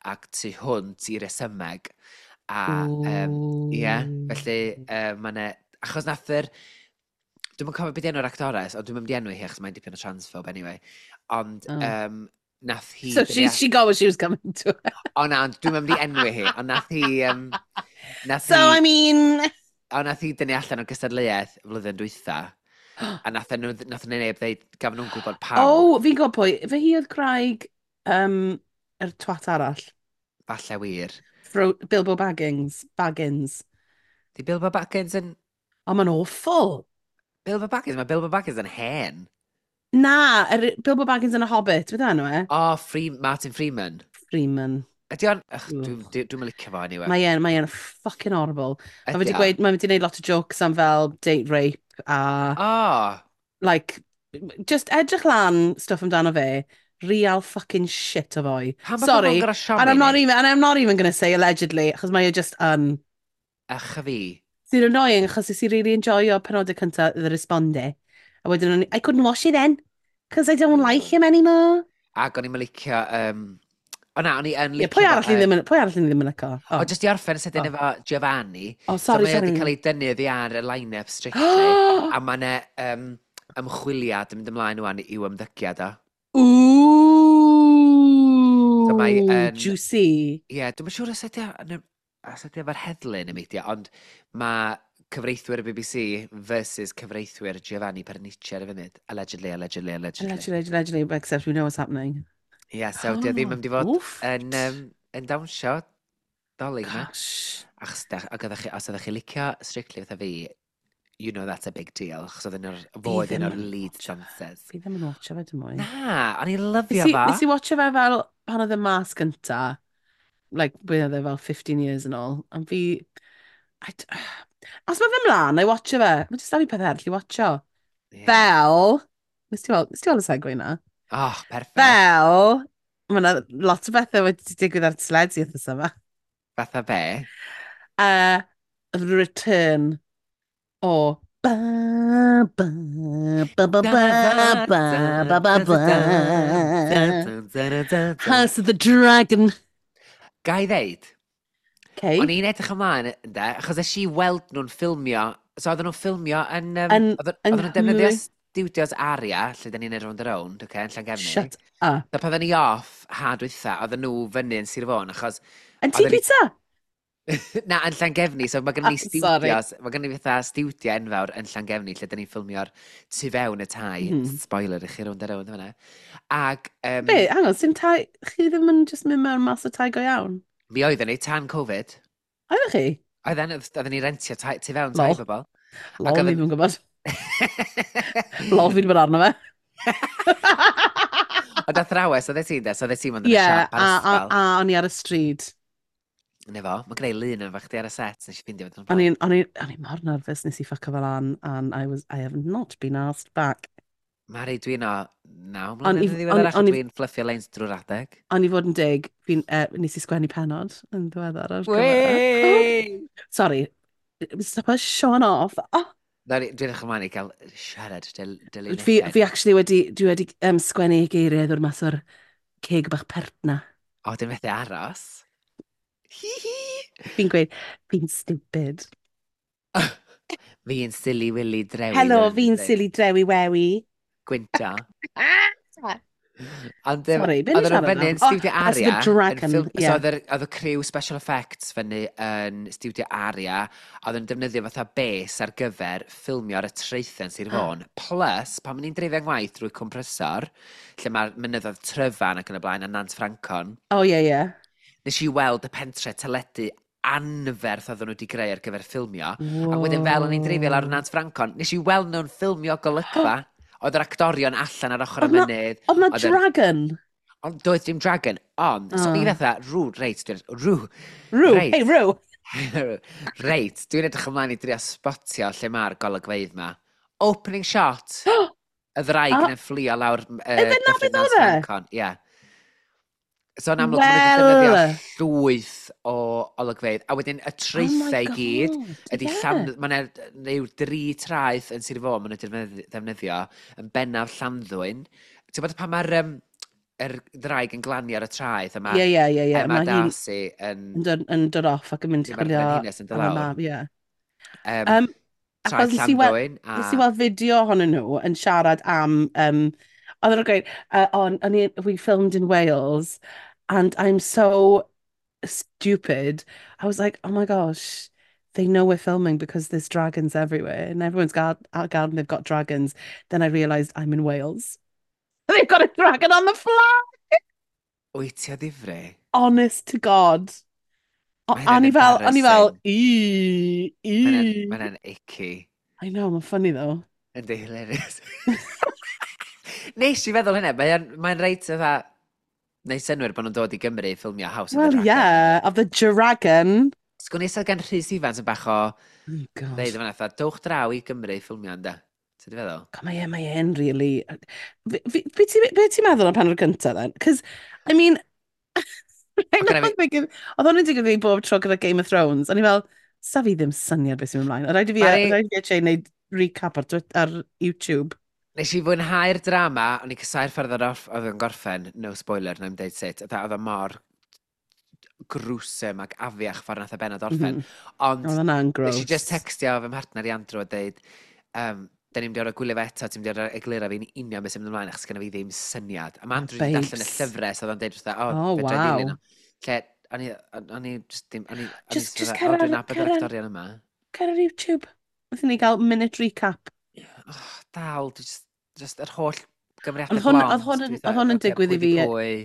ac tu hwnt i resymeg. A, um, ie, yeah, felly uh, mae yna. Achos nath yr... Dwi'm yn cofio beth enw'r actores, ond dwi'n mynd i enwi hi achos mae'n dipyn o transphobe anyway. Ond Oh. um, nath hi So she, she got what she was coming to. O na, ond dwi'n mynd i enwi hi, ond nath hi... Um, nath So, hi, I mean. O, nath hi dynnu allan o'r gystadleuaeth y flwyddyn dwytha. A nath nhw, nath nhw neb ddeud, gafon nhw'n gwybod pam. Oh, fi'n gwybod pwy. Fe hi oedd gwraig um, yr twat arall. Falle wir. Fro Bilbo Baggins. Baggins. Di Bilbo Baggins yn Oh, mae'n awful. Bilbo Baggins? Mae Bilbo Baggins yn hen. Na, er, Bilbo Baggins yn y Hobbit, beth enw e? O, oh, Free, Martin Freeman. Freeman. Ydy o'n... Ych, Dwi'n dwi, dwi licio fo, anyway. Mae e'n, mae e'n fucking horrible. Mae Ydy wedi o? gweud, mae wedi gwneud lot o jokes am fel date rape a O! Like, just edrych lan stuff amdano fe, real fucking shit o foi. Pam bod Sorry, pobl yn gorfod siomi and I'm not ni? even, and I'm not even gonna say allegedly, achos mae e just yn. Ych a fi. Sy'n annoying, achos nes i really enjoyo penodau cyntaf The Responde. A wedyn o'n i, I couldn't watch it then, because I don't like him anymore. Ac o'n i'n licio... Um... O na, o'n i yn Ie, licio pwy fo arall ni yn- ddim yn, pwy arall ni ddim yn licio? O, Oh, jyst i orffen sydyn Oh. efo Giovanni. Oh So sorry, mae o sorry. wedi cael ei dynnu oddi ar y line-up Strictly. A mae yna um, ymchwiliad yn mynd ymlaen wan i'w ymddygiad o. Ooh, So mae yn- juicy. Ie, yeah, dwi'm yn siŵr os ydy o yn y- os ydy o efo'r heddlu neu beidio, ond mae cyfreithwyr y B B C versus cyfreithwyr Giovanni Pernice ar y funud. Allegedly, allegedly, allegedly. Allegedly, allegedly, except we know what's happening. Ie, yeah, so di o ddim yn mynd i fod Wfft. yn, um, yn dawnsio Dolig yma. Gosh. Achos, da, ac oeddech chi, os ydych chi licio Strictly fatha fi, you know that's a big deal, achos oedd un o'r, fo oedd Fi un ddim o'r yn lead watcho fe. dancers. Fi ddim yn watcho fe dim mwy. Na, o'n i'n Nes lyfio i, fo. nes i watcho fe fel pan oedd e mas gynta, like, be oedd e fel fifteen years yn ôl, a fi... I d Os mae fe mlaen, na i watcho fe. Mae jyst da fi peth arall i watcho. Yeah. Fel... Nes ti weld, nes ti weld y segue na? Oh, perfect. Fel... Mae yna lot o bethau wedi digwydd ar teledu wythnos yma. Fatha be? Uh, the return o ba ba ba ba ba ba ba ba ba House of the Dragon. Ga i ddeud, Okay. o'n i'n edrych ymlaen, ynde, achos es i weld nhw'n ffilmio, so oedden nhw'n ffilmio yn... Um, Yn- oedden yng oedden nhw'n defnyddio Nghymru. studios Aria, lle da ni'n neud Rownd a Rownd, okay, yn Llangefni. Shut up. So pan oedden ni off ha dwytha, oedden nhw fyny yn Sir Fôn, achos Yn Tŷ Oedden ni- Pizza? Na, yn Llangefni, so mae gennym ni Ah, sorry. studios, mae gennym ni fatha studio enfawr yn Llangefni, lle da ni'n ffilmio'r tu fewn y tai. Mm Mhm. -hmm. Spoiler i chi Rownd a Rownd fyna. Ac um, Be, hang on, sy'n tai... Chi ddim yn just mynd mewn mas o tai go iawn? Mi oedden ni tan Covid. Oeddech chi? Oedden, oedden ni rentio tai, tu fewn tai Lol. bobl. Lol, Ac ni oedden- ddim yn gwybod. Lol, fi wedi bod arno fe. Ond athrawes, oeddet ti'n de, so oeddet ti'n mynd yn Ie, y siop ar a, a, ysgol. a o'n i ar y stryd. Ne fo, mae gen i lun yn fach chdi ar y set, nes i ffindio fo. O'n i'n o'n i'n o'n i mor nervous, nes i ffuco fel lan, and I was, I have not been asked back. Mari, dwi'n o naw O'n mlynedd i- yn ddiweddarach, o'n- o'n i- dwi'n fluffio lines drwy'r adeg. Ond i fod yn deg, fi'n, uh, nes i sgwennu penod yn ddiweddar ar gyfer e. Wei! Sorry, stop showing off. Oh, Na, Dwi'n edrych ymlaen i gael siarad dy, dy fi, fi actually wedi, dwi wedi um, sgwennu geiriau ddod mas o'r ceg bach pert na. O, dwi'n methu aros. Hi hi! Fi'n gweud, "Fi'n stupid." Fi'n silly willy drewi. Helo, fel fi'n ni'n deud. silly drewi wewi. Gwynta. Ond um, Sorry, be ni'n oedden nhw siarad fyny am? yn Studio Oh, House of Aria. the Yn Dragon, ffilm- ie. So oedd yr- oedd y criw special effects fyny yn Studio Aria, a oedd yn defnyddio fatha base ar gyfer ffilmio ar y traethau yn Sir Fôn. Plus, pan o'n i'n dreifio ngwaith drwy Cwmprysor, lle mae'r mynyddoedd Tryfan ac yn y blaen a Nant Ffrancon, Oh, ie, ie. nes i weld y pentre teledu anferth oedden nhw wedi greu ar gyfer ffilmio. A wedyn fel o'n i'n dreifio lawr y Nant Ffrancon, nes i weld nhw'n ffilmio golygfa. Oedd yr actorion allan ar ochr y Oedd 'na- mynydd. Oedd na Oedd yr- dragon? Ond doedd dim dragon, ond, so o'n i Ah. fatha, rŵ, reit, dwi'n, rŵ, Rw, Reit. Hey, rw. Reit, dwi'n edrych ymlaen i drio spotio lle mae'r golygfeydd ma. Opening shot, y ddraig Ah. yn fflio lawr uh, Ife 'na beth oedd e? Ffrancon. Ie. So yn amlwg, maen nhw wedi defnyddio Wel. llwyth o olygfeydd. A wedyn y Oh my traethau i gyd, God, ydy ie. Llan... Mae yna rhyw dri traeth yn Sir Fôn maen nhw wedi defnyddio, yn bennaf Llanddwyn. Ti'n bod pan mae'r um, yr ddraig yn glanio ar y traeth, a mae Ie, ie, ie, ie. Emma Mae hi'n Darcy yn yn dod, yn dod off ac yn mynd i Ie, mae'r chwilio frenhines yn dod am y lawr. mab, ie. Um, Um, traeth achos nes i wel- Llanddwyn a Nes i weld fideo ohonyn nhw yn siarad am... Um, oedden nhw'n gweud, uh, on, on i, "We filmed in Wales and I'm so stupid. I was like, oh my gosh, they know we're filming because there's dragons everywhere and everyone's got our garden, they've got dragons. Then I realised I'm in Wales. They've got a dragon on the flag!" Wyt ti o ddifri? Honest to God. O, Mae a hynna'n o'n i fel, o'n i fel, embarrassing. Ee, ee. Mae hynna'n icky. I know, mae'n funny though. Yndi, hilarious. Nes i feddwl hynna, mae'n mae reit fatha Neu synwyr bod nhw'n dod i Gymru i ffilmio House of Well, the Dragon. Yeah, of the Dragon. Sgwn i sydd gen Rhys Ifans yn bach o Oh, God. ddeud yma fatha, dowch draw i Gymru i ffilmio ynddo. Ti'n di feddwl? God, mae e, mae e'n really. Be be ti be ti'n meddwl am penod gyntaf, then? Cos, I mean, O, gynna fi- thinking, oedd hwn yn digwydd fi bob tro gyda Game of Thrones. O'n i fel, sa fi ddim syniad beth sy'n mynd ymlaen. Oedd rhaid i fi, Mari- oedd rhaid i fi actually wneud recap ar, Twi- ar YouTube. Nes i fwynhau'r drama, o'n i'n casáu'r ffordd oedd off- oedd yn gorffen, no spoiler, na i'm deud sut, oedd oedd o mor gruesome ac afiach ffordd nath y benod orffen. Mm -hmm. Ond Oedd hwnna'n gross. nes i just textio fy mhartner i Andrew a deud, um, da ni'n mynd i orfod gwylio fe eto, ti'n mynd i orfod egluro fi'n union beth sy'n mynd ymlaen, achos gynna fi ddim syniad. A mae Andrew wedi darllen y Babes. llyfrau, so oedd o'n deud wrtha, o, Oh, fedra i wow. ddilyn o. Lle, o'n i, o'n i just ddim, o'n i, o'n i Just- just just fatha, cer o, ar- dwi'n nabod yr cer ar- actorion yma. Cer ar YouTube. Wnaethon ni gael minute recap. Oh, dal, dwi just, just yr holl gymeriadau Oedd hwn- blond. oedd hwn yn- dwi fatha, oedd hwn yn ocê, digwydd i pwy 'di fi- Pwy?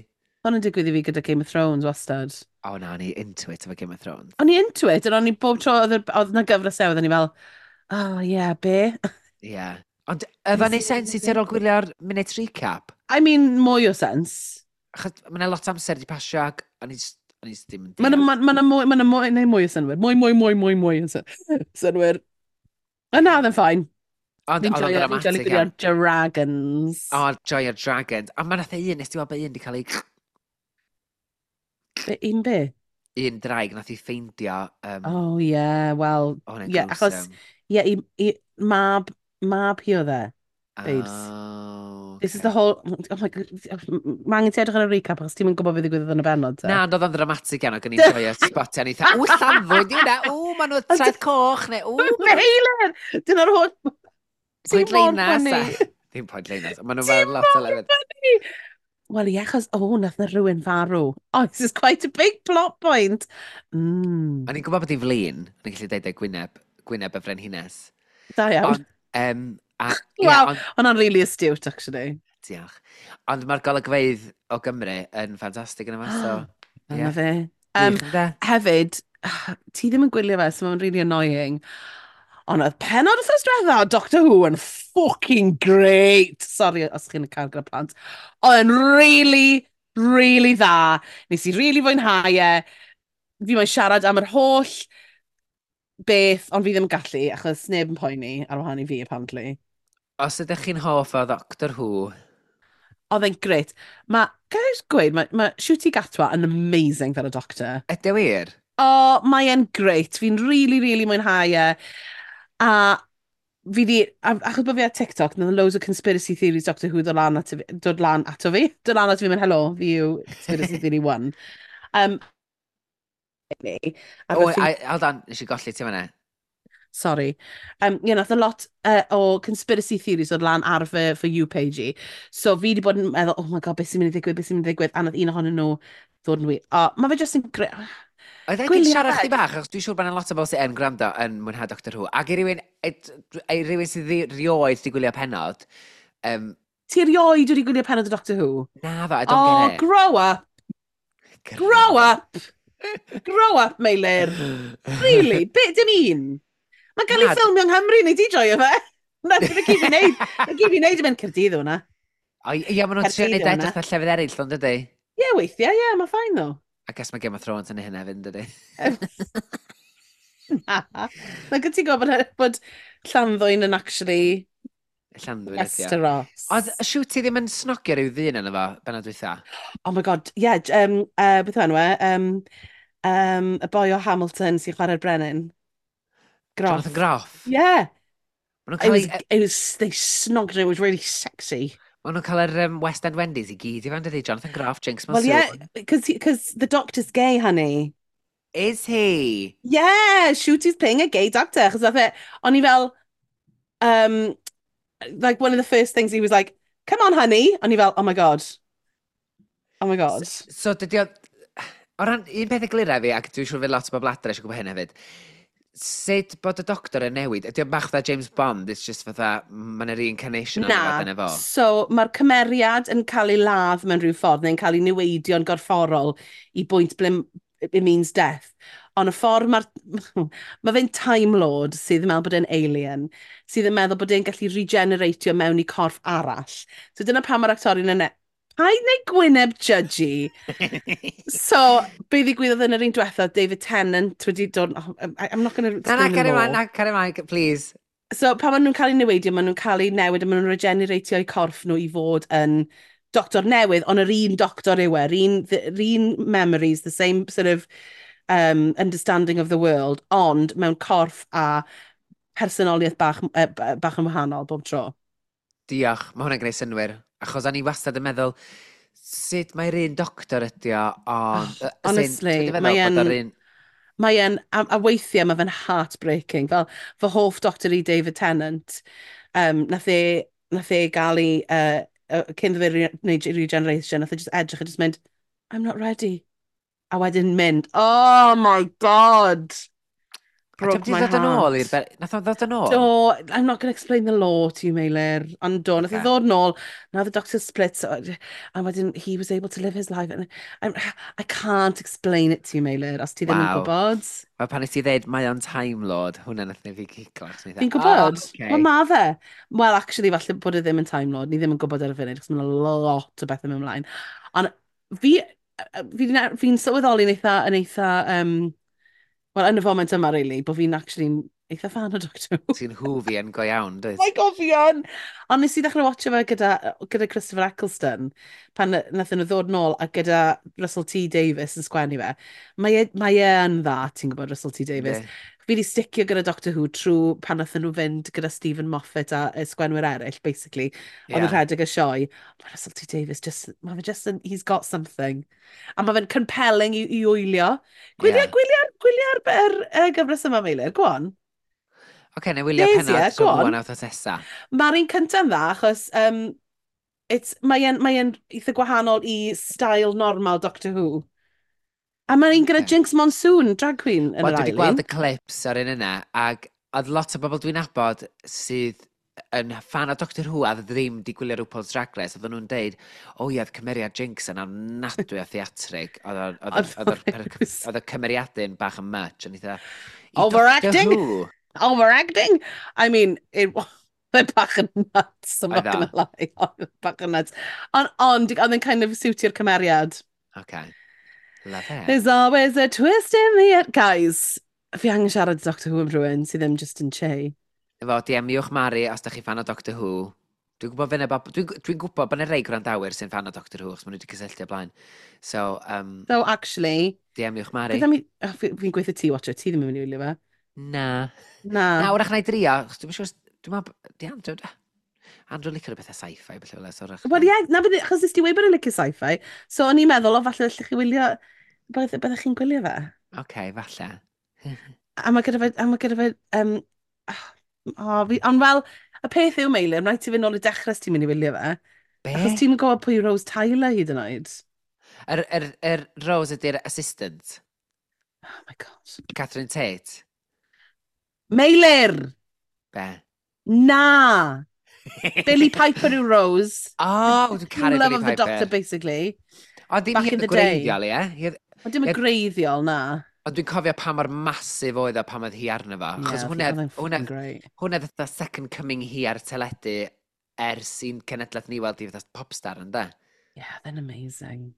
Hwn yn digwydd i fi gyda Game of Thrones wastad. O na, o'n i into it efo Game of Thrones. O'n i into it, ond o'n i bob tro oedd yr- oedd 'na gyfres newydd, o'n i fel, "Oh yeah, be?" Ie. Yeah. Ond oedd o'n neud sens i ti ar ôl gwylio'r minute recap? I mean, mwy o sens. Achos mae yna lot o amser wedi pasio ac o'n i just, o'n i just ddim yn Mae'n deall. ma, ma, mwy, ma mwy, neu mwy o synwyr. Mwy, mwy, mwy, mwy, mwy o syn- synwyr. Ond na, oedd yn fine. Ond Fi'n oedd o'n joio, fi'n joio dramatic gwylio iawn. Dragons. O, joio'r Dragons. A mae nath un, nes ti weld bod un wedi cael ei. Be, un be? Un draig nath i ffeindio. Um, Oh, yeah, well, oh, hwnna'n yeah, achos, gruesome. yeah, i, i, mab, mab hi oedd e. Babes. Oh, This is okay. the whole. Oh my God, mae angen ti edrych ar y recap achos ti'n mynd gwybod beth ddigwyddodd yn y benod, te. Na, ond oedd o'n dramatic iawn, ac o'n i'n joio spotio, o'n i fatha, ww, Llanddwyn, di hwnna, ww, maen nhw traeth coch, neu ww, Meilir! Dyna'r holl. Ti'n Point mor Leinas. funny. a- Ddim Point Leinas, ond maen nhw Ti'n fel lot o mor lefydd. funny. Wel, ie, achos, oh, nath na rhywun farw. Oh, this is quite a big plot point. Mm. O'n i'n gwybod bod hi'n flin, o'n i'n gallu deud e gwyneb, gwyneb y frenhines. Da iawn. Ond, um, a, ie, Wow, ond, hwnna'n really astute, actually. Diolch. Ond mae'r golygfeydd o Gymru yn ffantastig yn yma, so, Dyna ie. fe. Um, Gwych ynde? Hefyd, ti ddim yn gwylio fe, so mae'n really annoying. Ond oedd penod wythnos diwetha o Doctor Who yn fucking great. Sorry os chi'n cael gyda plant. Oedd yn really, really dda. Nes i really fwynhau e. Fi moyn siarad am yr holl beth, ond fi ddim yn gallu, achos neb yn poeni ar wahân i fi, apparently. Os ydych chi'n hoff o Doctor Who, Oedd e'n great. Mae, gael ei gweud, mae, mae Ncuti Gatwa yn amazing fel y doctor. Ydy wir? O, mae e'n great. Fi'n really, really mwynhau e. A fi di, a, achos bod fi ar TikTok, nath loads o conspiracy theories Doctor Who dod lan ato fi, dod lan ato fi, dod lan ato fi, mynd, "Hello, fi yw conspiracy theory one." Um, a O, fy ffrind- I- hold on, nes i golli ti fan'na. Sorry. Um, you know, nath a lot uh, o conspiracy theories dod lan ar fy, For You page i. So fi di bod yn meddwl, "Oh my God, beth sy'n mynd i ddigwydd, beth sy'n mynd i ddigwydd?" A nath un ohonyn nhw ddod yn wir. O, mae fe just yn great. Oedd e'n Gwylia siarad fe. chdi bach, achos dwi'n siŵr bod yna lot o bobl sy'n yn gwrando yn mwynhau Doctor Who. Ac i rywun, i rywun sydd ddi- rioed di gwylio penod, um, Ti erioed wedi gwylio penod o Doctor Who? Na ddo, I don't Oh, get it. Grow up! Grow up! Grow up, Meilir! Really? Be, dim un? Mae'n cael ei Na, ffilmio yng Nghymru, neu di joio fe? Na, dyna gyd fi'n neud. Na gyd fi'n neud yn mynd Caerdydd hwnna. O, ie, maen nhw'n trio Caerdydd neud yw edrych hwnna. fatha llefydd eraill, ond dydy? Ie, weithiau, ie, mae fine though. I guess mae Game of Thrones yn ei hynna hefyd, dydy? Na. Na, gyd ti'n gwybod bod, bod Llanddwyn yn actually Llanddwyn ydi o. Westeros. Oedd Ncuti ddim yn snogio rhyw ddyn yna fo, benod dwytha? Oh my God, ie, yeah, um, uh, beth yw enw e? Um, um, y boi o Hamilton sy'n chwarae'r brenin. Groff. Jonathan Groff? Yeah. Maen nhw'n It cael, was, ei- it was, they snogged her, it was really sexy. Maen nhw'n cael yr um, West End Wendy's i gyd i fewn, dydy? Jonathan Groff, Jinkx Well, Monsoon. yeah, because because the doctor's gay, honey. Is he? Yeah, Ncuti's playing a gay doctor. Achos nath e, o'n i fel, um, like one of the first things he was like, "Come on, honey." O'n i fel, "Oh my God. Oh my God." So, so dydy o. O ran, un peth eglura fi, ac dwi'n siŵr fydd lot o bobl adre eisiau gwybod hyn hefyd, sut bod y doctor yn newid? Ydy o bach fatha James Bond, it's just fatha, mae'n reincarnation o'n Na, fo, dyna fo. So mae'r cymeriad yn cael ei ladd mewn rhyw ffordd neu'n cael ei niweidio'n gorfforol i bwynt ble it means death. Ond y ffordd mae'r... Mae fe'n Time Lord sydd yn meddwl bod e'n alien, sydd yn meddwl bod e'n gallu regeneratio mewn i corff arall. So dyna pam mae'r actorion yn e- Paid neu gwyneb judgy. So, be ddigwyddodd yn yr un diwethaf, David Tennant wedi dod. Oh, I- I'm not going to Na, na, explain the carry ymlaen, lore. Na, carry ymlaen, please. So, pan maen nhw'n cael eu neweidio, maen nhw'n cael eu newid a maen nhw'n regeneratio eu corff nhw i fod yn doctor newydd, ond yr un doctor yw e, yr un, yr un memories, the same sort of um, understanding of the world, ond mewn corff a personoliaeth bach, uh, bach yn wahanol bob tro. Diolch, mae hwnna'n gwneud synnwyr. Achos o'n i wastad yn meddwl, sut mae'r un doctor ydi o, ond Oh, yy, as in, honestly, ti'n meddwl mae bod e'n- yr un. Mae e'n, a, a weithiau mae fe'n heartbreaking. Fel fy hoff doctor i, David Tennant, um, nath e, nath e gael ei, uh, uh, cyn iddo fe re- wneud regeneration, nath e just edrych a just mynd, "I'm not ready." A wedyn mynd, oh my God! A Broke di my ddod yn ôl i'r heart. Be- Nath o ddod yn ôl? Do, I'm not going to explain the lore to you, Meilir. Ond do, nath e Ocê. ddod nôl, now the doctor split, so, a wedyn he was able to live his life. And I'm, I can't explain it to you, Meilir, os ti ddim yn Waw. gwybod. Wel, pan nes ti ddeud mae o'n Time Lord, hwnna nath ni fi giglo. Achos o'n i Fi'n fatha, gwybod. "Oh, okay." Wel, ma fe. Well, actually, falle bod e ddim yn Time Lord. Ni ddim yn gwybod ar y funud, achos mae'n lot o bethau mynd ymlaen. Ond fi, fi'n fi sylweddoli'n eitha, yn eitha, um, well, yn y foment yma, really, bod fi'n actually eitha fan o Doctor Who. Ti'n Whovian go iawn, dwyt? Oh my God, fi yn! Ond nes i ddechrau watcho fe gyda, gyda Christopher Eccleston, pan nathon nhw ddod nôl a gyda Russell T Davies yn sgwennu fe. Mae e, mae e yn dda, ti'n gwybod, Russell T Davies. Yndi. Fi wedi sticio gyda Doctor Who trwy pan nathon nhw fynd gyda Steven Moffat a y sgwenwyr eraill, basically. Oedd yn Ie. rhedeg y sioe. Mae Russell T Davies just, mae fe just yn, he's got something. A mae fe'n compelling i, i wylio. Gwylia, Ie. gwylio'r, gwylio'r yr, y gyfres yma, Meilir, go on. Oce, na i wylio Yes, penod ie, so go on. rwan a wythnos nesa. Mae'r un cyntaf yn dda, achos um, it's, mae e'n mae e'n eitha gwahanol i style normal Doctor Who. A mae'n un gyda Ocê. Jinkx Monsoon, drag queen, yn Wel, yr dwi wedi ail gweld un. y clips ar un yna, ac oedd lot o bobl dwi'n nabod sydd yn fan o Doctor Who a ddim di gwylio RuPaul's Drag Race, oedden nhw'n deud, "O ie, oedd cymeriad Jinkx yn ofnadwy o theatrig, oedd o- oedd yr- oedd yr per- oedd y cymeriadyn bach yn much," ond eitha, i Doctor Overacting? Who? Overacting? I mean, it oedd bach yn nuts, I'm not Oedd o? gonna lie. Oedd e bach yn nuts. Ond, ond, oedd yn kind of siwtio'r cymeriad. Okay. Love it. There's always a twist in the end. Guys, fi angen siarad Doctor Who am rhywun sydd ddim just yn che. Efo, D M-iwch Mari os da chi fan o Doctor Who. Dwi'n gwybod fyna, dwi'n dwi gwybod bod yna rei gwrandawyr sy'n fan o Doctor Who, achos maen nhw wedi cysylltu o blaen. So, um, So, actually, D M-iwch Mari. beth am i... Oh, fi- fi'n gweithio ti watcher, ti ddim yn mynd i wylio fe. Na. Na. Na, wrach na i drio, achos dwi'n siŵr, dwi'n meddwl, di Andrew, Andrew licio rhywbeth sci-fi, felly fel so wrach. Wel, ie, na, bydde, achos nes ti weud bod yn licio sci-fi, so o'n i'n meddwl, o, falle allech chi wylio, byddech byddech chi'n gwylio fe. Oce, falle. A mae gyda fe, a mae gyda fe, um, oh, fi, ond fel, y peth yw, Meilir, rhaid ti fynd nôl i dechrau os ti'n mynd i wylio fe. Be? Achos ti'n gwybod pwy yw Rose Tyler hyd yn oed. Yr, yr, yr Rose ydy'r assistant, Oh my God. Catherine Tate. Meilir! Be? Na! Billie Piper yw Rose. Oh, dwi'n caru Love Billie of the Piper. Doctor, basically. Ond ddim Back hi in oedd y the day. gwreiddiol, ie? Hi oedd- Ond dim y Ie. greiddiol, na. Ond dwi'n cofio pa mor massive oedd o pan oedd hi arno fo. Achos Yeah, hwnna, oedd e'n hwnna, fucking great. hwnna fatha second coming hi ar y teledu ers i'n cenedlaeth ni weld i fatha popstar, ynddo? Yeah, they're amazing.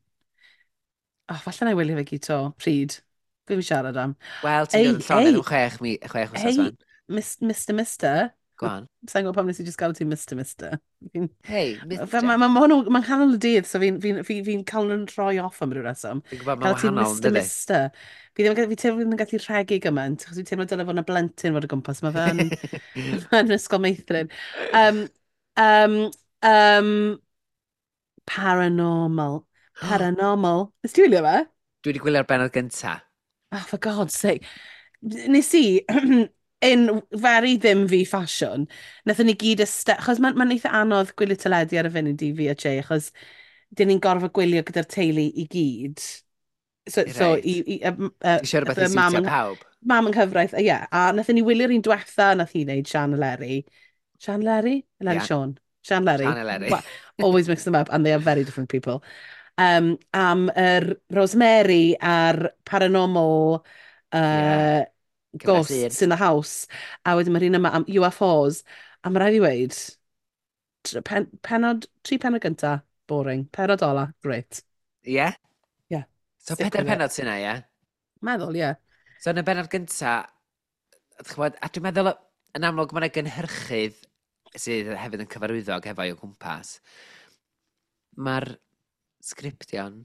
Oh, falle na i wylio fe gyd to. Pryd? Fi fi siarad am. Wel, ti'n Ei, dod yn llonydd ei. yn chwech, mi, chwech wythnos Ei, wan. Mister Mister. Go on. Sa'n gwybod pam nes i just galw ti Mister Mister. Fi'n Hey, Mister Mae ma, ma hwnnw, mae'n canol y dydd, so fi'n fi, fi, fi cael nhw'n rhoi off am ryw reswm. Fi'n gwybod mae'n Cael ti'n wahanol, Mister dydy? Mister. Fi ddim yn fi teimlo ddim yn gallu rhegi gymaint, achos fi'n teimlo dyle fod yna blentyn fod o gwmpas. Mae fe'n fe'n ysgol meithrin. Um, um, um, paranormal. Paranormal. Nes ti wylio fe? Dwi wedi gwylio'r benod gynta. Oh, for God's sake. Nes i, in very ddim fi fashion, wnaethon ni gyd iste... Achos mae'n ma eitha anodd gwylio teledu ar y funud i fi a Jay, achos dyn ni'n gorfod gwylio gyda'r teulu i gyd. So, so Reit. i, i, uh, uh, Ti eisiau rhywbeth i mam siwtio yng- pawb? Mam yng nghyfraith, ie. Yeah, a wnaethon ni wylio'r un diwetha nath hi wneud, Sian Eleri. Sian Eleri? Eleri Ie. Siôn. Sian Eleri. Sian Eleri. Well, always mix them up, and they are very different people. Um, am yr Rosemary a'r paranormal uh, Ie. Cyfres ghosts un. in the house. A wedyn mae'r un yma am U F Os. A mae rhaid i weud, tr- pen, penod, tri penod gynta. Boring. Penod ola, great. Ie? Yeah? Ie. Yeah. So Stick pedair penod sy'n na, ie? Yeah? Meddwl, ie. Yeah. So yn y benod gynta, ch'mod, a dwi'n meddwl, yn amlwg mae yna gynhyrchydd sydd hefyd yn cyfarwyddo ac efo'i o gwmpas. Mae'r sgriptio'n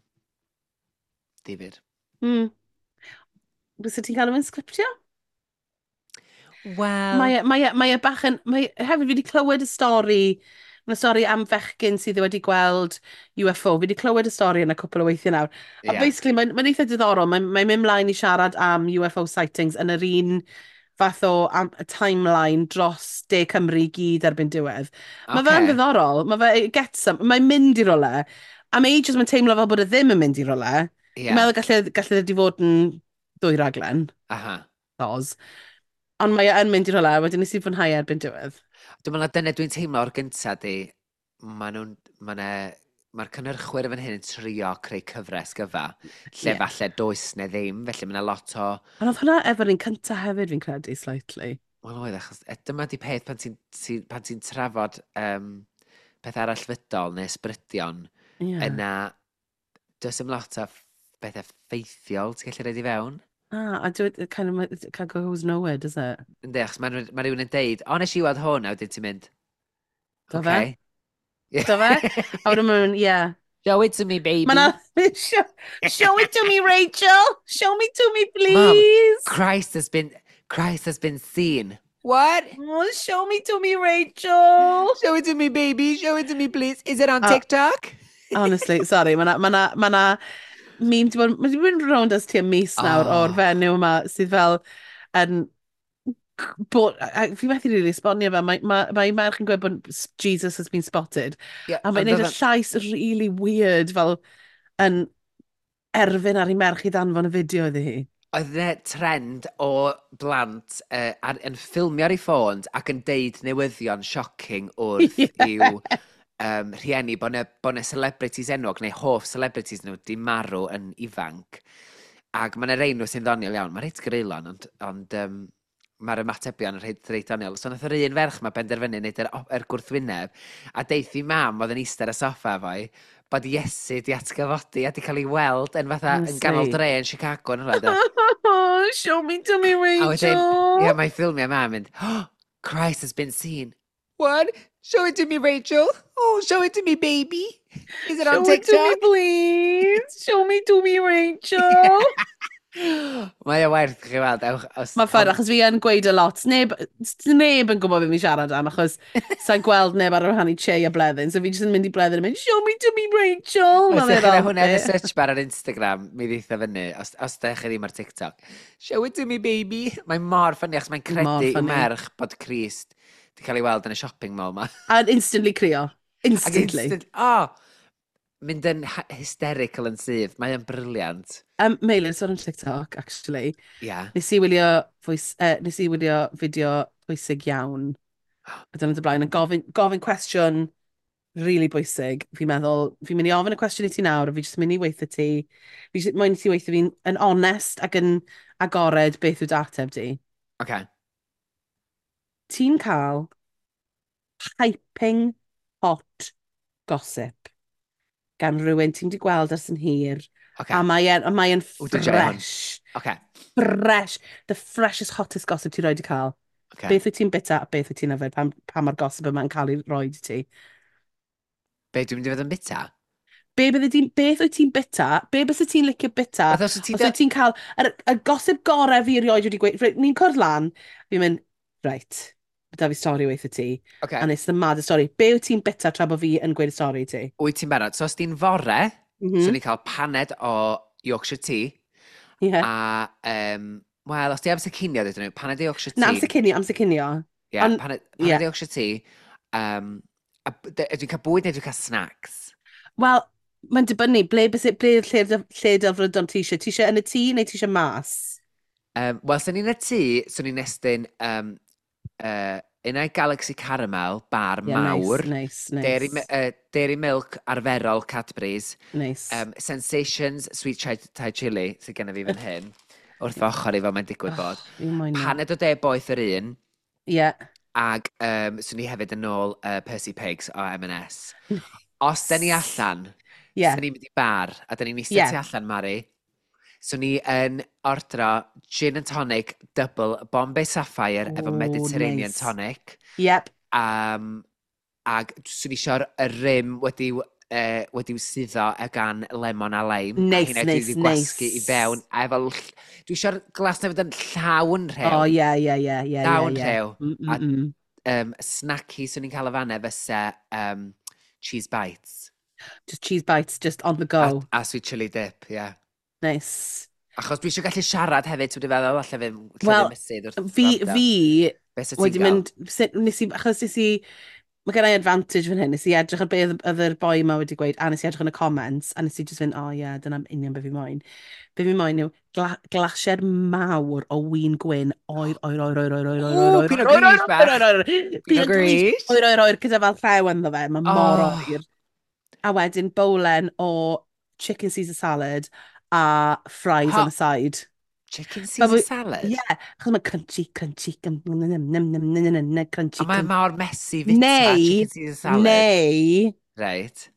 difyr. Mm. Fysa ti'n cael nhw'n sgriptio? Wel... Mae, e, mae, e, mae e bach yn... Mae, hefyd fi wedi clywed y stori, mae'n stori am fechgyn sydd wedi gweld U F O. Fi wedi clywed y stori yn y cwpl o weithiau nawr. A yeah. basically, mae'n mae eitha diddorol. Mae'n mae mynd mlaen i siarad am U F O sightings yn yr un fath o am, timeline dros De Cymru i gyd erbyn diwedd. Mae okay. fe'n ddiddorol. Mae fe, it gets some, mae'n mynd i rywle. Am ages mae'n teimlo fel bod e ddim yn mynd i rywle. Yeah. Dwi'n meddwl gallu, gallu wedi fod yn dwy raglen. Aha. Oz. Ond mae e yn mynd i rywle, wedyn nes i fwynhau erbyn diwedd. Dwi'n meddwl na dyna dwi'n teimlo o'r gynta di, ma nhw'n, ma ne, mae'r cynhyrchwyr yn fan hyn yn trio creu cyfres gyfa, lle yeah. falle does neu ddim, felly mae yna lot o... Ond oedd hwnna efo'r un cynta hefyd fi'n credu, slightly. Wel oedd, achos e, dyma di peth pan ti'n ti, pan ti'n trafod um, peth arall fydol neu ysbrydion, yeah. yna does dim lot o bethau ffeithiol ti'n gallu rhaid i fewn. Ah, a do it, it kind of, it kind of goes nowhere, does it? Yndi, achos mae, ma rhywun yn deud, o, nes i weld hwn, a wedyn ti'n mynd, Do okay. fe? Do fe? A wedyn mae'n, yeah. Show it to me, baby. Ma show, show it to me, Rachel. Show me to me, please. Mom, Christ has been, Christ has been seen. What? Oh, show me to me, Rachel. Show it to me, baby. Show it to me, please. Is it on uh, TikTok? Honestly, sorry. Mae na, ma na, ma na meme, di bod, mae di bod yn rownd ers tua mis nawr oh. o'r fenyw yma sydd fel yn bod, a, fi methu rili esbonio fe, mae, mae, mae merch yn gweud bod Jesus has been spotted. Yeah, a mae'n neud y llais really weird fel yn erfyn ar ei merch i ddanfon y fideo iddi hi. Oedd yna trend o blant uh, ar, yn ffilmio ar ei ffôns ac yn deud newyddion shocking wrth yeah. i'w um, rhieni bod 'na bo' 'na celebrities enwog neu hoff celebrities nhw di marw yn ifanc. Ac mae 'na rei nhw sy'n ddoniol iawn. Mae'n reit greulon, ond, ond um, mae'r ymatebion yn reit, reit doniol. So nath yr un ferch ma benderfynu wneud yr, yr gwrthwyneb, a deith i mam oedd yn eistedd ar y soffa efo'i, bod Iesu di atgyfodi a di cael ei weld yn fatha yn ganol dre yn Chicago yn rhywle. Show me to me, Rachel. A wedyn, ie, mae ffilmiau mam yn mynd, oh, Christ has been seen. What? Show it to me, Rachel. Oh, show it to me, baby. Is it on Show TikTok? it to me, please. Show me to me, Rachel. Mae o werth chi weld. Ewch, os, Mae'n ffair, achos fi yn gweud a lot. Neb, neb yn gwybod beth fi'n siarad am, achos sa'n gweld neb ar wahân i Che a Bleddyn. So fi jyst yn mynd i Bleddyn a mynd, show me to me, Rachel. Os ydych chi'n hwnna yn y search bar ar Instagram, mi ddeitha fyny, os, os ydych chi ddim ar TikTok. Show it to me, baby. Mae'n mor ffynnu, achos mae'n credu i merch bod Crist di cael ei weld yn y shopping mall ma. A instantly crio. Instantly. Ac instant, oh, mynd yn hysterical yn sydd. Mae o'n brilliant. Um, Meilir, sôn am TikTok, actually. Yeah. Nes i wylio, voice, uh, nes i wylio fideo pwysig iawn. A dyna dy blaen, yn gofyn, gofyn cwestiwn really bwysig. Fi'n meddwl, fi'n mynd i ofyn y cwestiwn i ti nawr, a fi jyst mynd i weithio ti. Fi jyst moyn i ti weithio fi'n yn onest ac yn agored beth yw dy ateb di. Okay. Ti'n cael piping hot gossip gan rhywun ti'n di gweld ers yn hir. Okay. A mae e'n mae e'n fresh. Okay. Fresh. The freshest, hottest gossip ti'n rhoi di cael. Okay. Beth wyt ti'n bita a beth wyt ti'n yfed pan, pan mae'r gossip yma'n cael ei roi i ti? Be dwi'n mynd i fod yn bita? Be bydde ti'n, beth wyt ti'n bita? Be byse ti'n licio bita? Os wyt ti'n ti cael yr, y gossip gorau fi erioed wedi gweud. Ni'n cwrdd lan, fi'n mynd, right, da fi stori weithio ti. Okay. And it's the maddest story. Be wyt ti'n bita tra bod fi yn gweud y stori i ti? Wyt ti'n barod? So os ti'n fore, mm -hmm. so ni'n cael paned o Yorkshire Tea. Yeah. A, um, wel, os ti amser cinio, dydyn nhw, paned o Yorkshire Tea. Na, amser cinio, amser cinio. Yeah, On, paned, paned yeah. o Yorkshire Tea. Um, a, dwi'n cael bwyd neu dwi'n cael snacks? Wel, mae'n dibynnu, ble, ble, ble lle, lle delfrydon ti eisiau? Ti eisiau yn y tŷ neu ti eisiau mas? Um, Wel, swn i'n y tŷ, swn i'n estyn um, uh, unai Galaxy Caramel, bar yeah, mawr. Nice, nice, nice. Dairy, uh, Dairy Milk arferol Cadbury's. Nice. Um, Sensations Sweet Chai, Thai Chili, sydd gennym fi fan hyn. Wrth ochr i fel mae'n digwydd bod. Oh, Paned o de boeth yr un. Yeah. Ag um, swn i hefyd yn ôl uh, Percy Pigs o M and S. Os da ni allan, Yeah. swn ni'n mynd i bar, a da ni'n eistedd Yeah. tu allan, Mari. So ni yn ordro gin and tonic double Bombay Sapphire efo Oh, Mediterranean nice. tonic. Yep. Um, ag swn i eisiau'r y rim wedi'w uh, wedi'w suddo e gan lemon a lime. A Neis, heina dwi neis, wedi gwasgu i fewn. neis. A efo... l- Dwi eisiau'r glas na fydd yn llawn rhew. Oh, yeah, yeah, yeah, yeah, yeah, Llawn yeah. rhew. Mm, mm, A mm. um, snacky swn i'n cael y fanna fysa um, cheese bites. Just cheese bites, just on the A, go. a sweet chili dip, ie. Yeah. Nice. Achos dwi eisiau gallu siarad hefyd, ti'n feddwl, alle fi, lle fi Wel, mysydd wrth fi, wrando. fi Be sa ti'n wedi gael? mynd, sut- nes i, achos nes i, mae gen i advantage fan hyn, nes i edrych ar beth oedd yr boi yma wedi gweud, a nes i edrych yn y comments, a nes i just fynd, oh yeah, dyna'n union be fi moyn. Be fi moyn yw gla glasied mawr o win gwyn, oer, oer, oer, oer, oer, oer, oer, Ww, oer, Pinot oer, oer, Gris oer, bach. oer, oer, oer, Pinot Pinot Gris, Gris. oer, oer, oer, gyda fel llew ynddo fe, mae mor Oh. oer. A wedyn bowlen o chicken Caesar salad a fries Ha- on the side. Chicken Ma' Caesar fwy- salad? Ie, achos mae crunchy, crunchy, num, num, num, num, num, num, num, num, crunchy, A mae crunchy. mor messy fita Neu, chicken Caesar salad. neu, Right.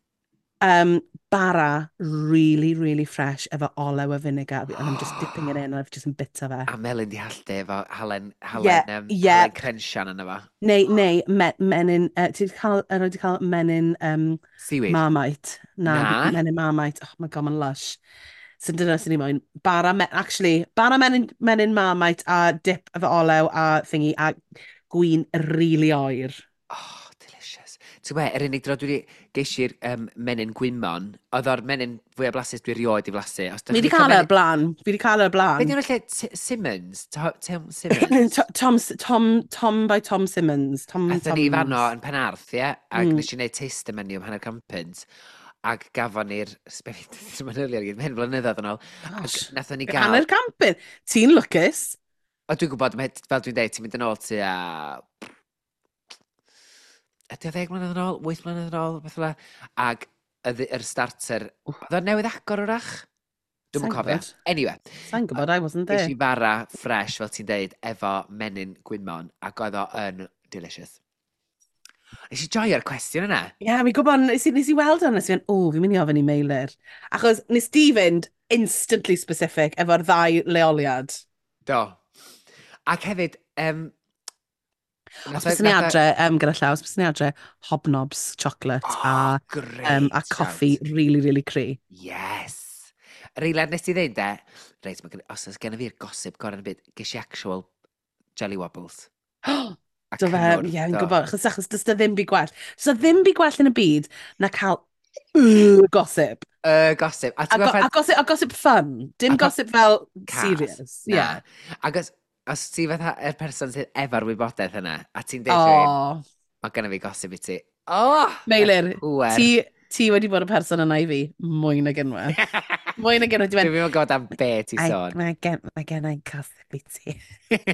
um, bara really, really fresh efo olew a vinegar, and I'm just dipping it in, and I've just yn bita fe. A melyn di hallte efo halen, Ie, halen, um, ie. halen crensian yna fo. Neu, neu, me, menyn, uh, ti wedi cael, er wedi cael menyn um, Seaweed. Marmite? Na, Na. menyn Marmite. Oh my God, mae'n lush. So dyna sy'n ni moyn. Bara, me actually, bara menyn, menyn Marmite a dip efo olew a thingy a gwin really oer. Oh, delicious. Ti'n gwybod, yr unig dro dwi wedi geisi'r um, menyn gwymon, oedd o'r menyn fwyaf blasus dwi erioed i flasu. Os dach Fi chi'n wedi licio cael e menyn- o'r blaen. Fi wedi cael e o'r Be blaen. di hwnna lle? T- Simmons? To- Tom Simmons? To- Tom, Tom, Tom by Tom Simmons. Tom Aethon ni fanno Toms. yn Penarth, ie? Ac Mm. nes i wneud taster menu am hanner can punt. Ac gafon ni'r... Sbefi, manylion i gyd, mae hyn blynyddoedd yn ôl. Ac Gosh. nathon ni gael... Hanner can punt. Ti'n lwcus. O, dwi'n gwybod, mae- fel dwi'n deud, ti'n mynd yn ôl tua... Ydy o ddeg mlynedd yn ôl? Wyth mlynedd yn ôl? Beth fel 'na. Ac y yr starter... Oedd o'n newydd agor wrach? Dwi'm yn Sa'n cofio. gwybod. Anyway, Sa'n gwybod, I wasn't ges there. i fara fresh, fel ti'n deud, efo menyn gwymon, ac oedd o yn delicious. Nes i joio'r cwestiwn yna. Ie, yeah, mi'n gwybod, nes i, nes i weld hwnna, nes i fynd, o, fi'n mynd i ofyn i Meilir. Achos nes di fynd instantly specific efo'r ddau leoliad. Do. Ac hefyd, um, Os bys ni adre, um, gyda llaw, os bys ni adre, Hobnobs chocolate Oh, a, great um, a coffi shout. really, really cry. Yes. Yr eiliad nes ti ddeud de, reit, mae gen, os oes gen i fi'r gossip gorau yn y byd, ges i actual jelly wobbles. A Do fe, cynnwrf, ie, fi'n do. gwybod, achos, achos does 'na ddim byd gwell. Does 'na ddim byd gwell yn y byd na cael y gossip. Y gossip. A A, ti'n go, gwybod a, gossip, a gossip fun. Dim A pa- gossip fel cas. serious. Na. Yeah. Ac os, os ti fatha yr person sydd efo'r wybodaeth yna, a ti'n deud rhywun, Oh, mae genna fi gossip i ti. Oh! Meilir, Pŵer. ti, ti wedi bod y person yna i fi mwy nag unwaith. Mwy nag unwaith. Ti'n mynd, Dwi'n mynd gwybod am be ti I- sôn. Mae gen, mae gen i gossip i ti.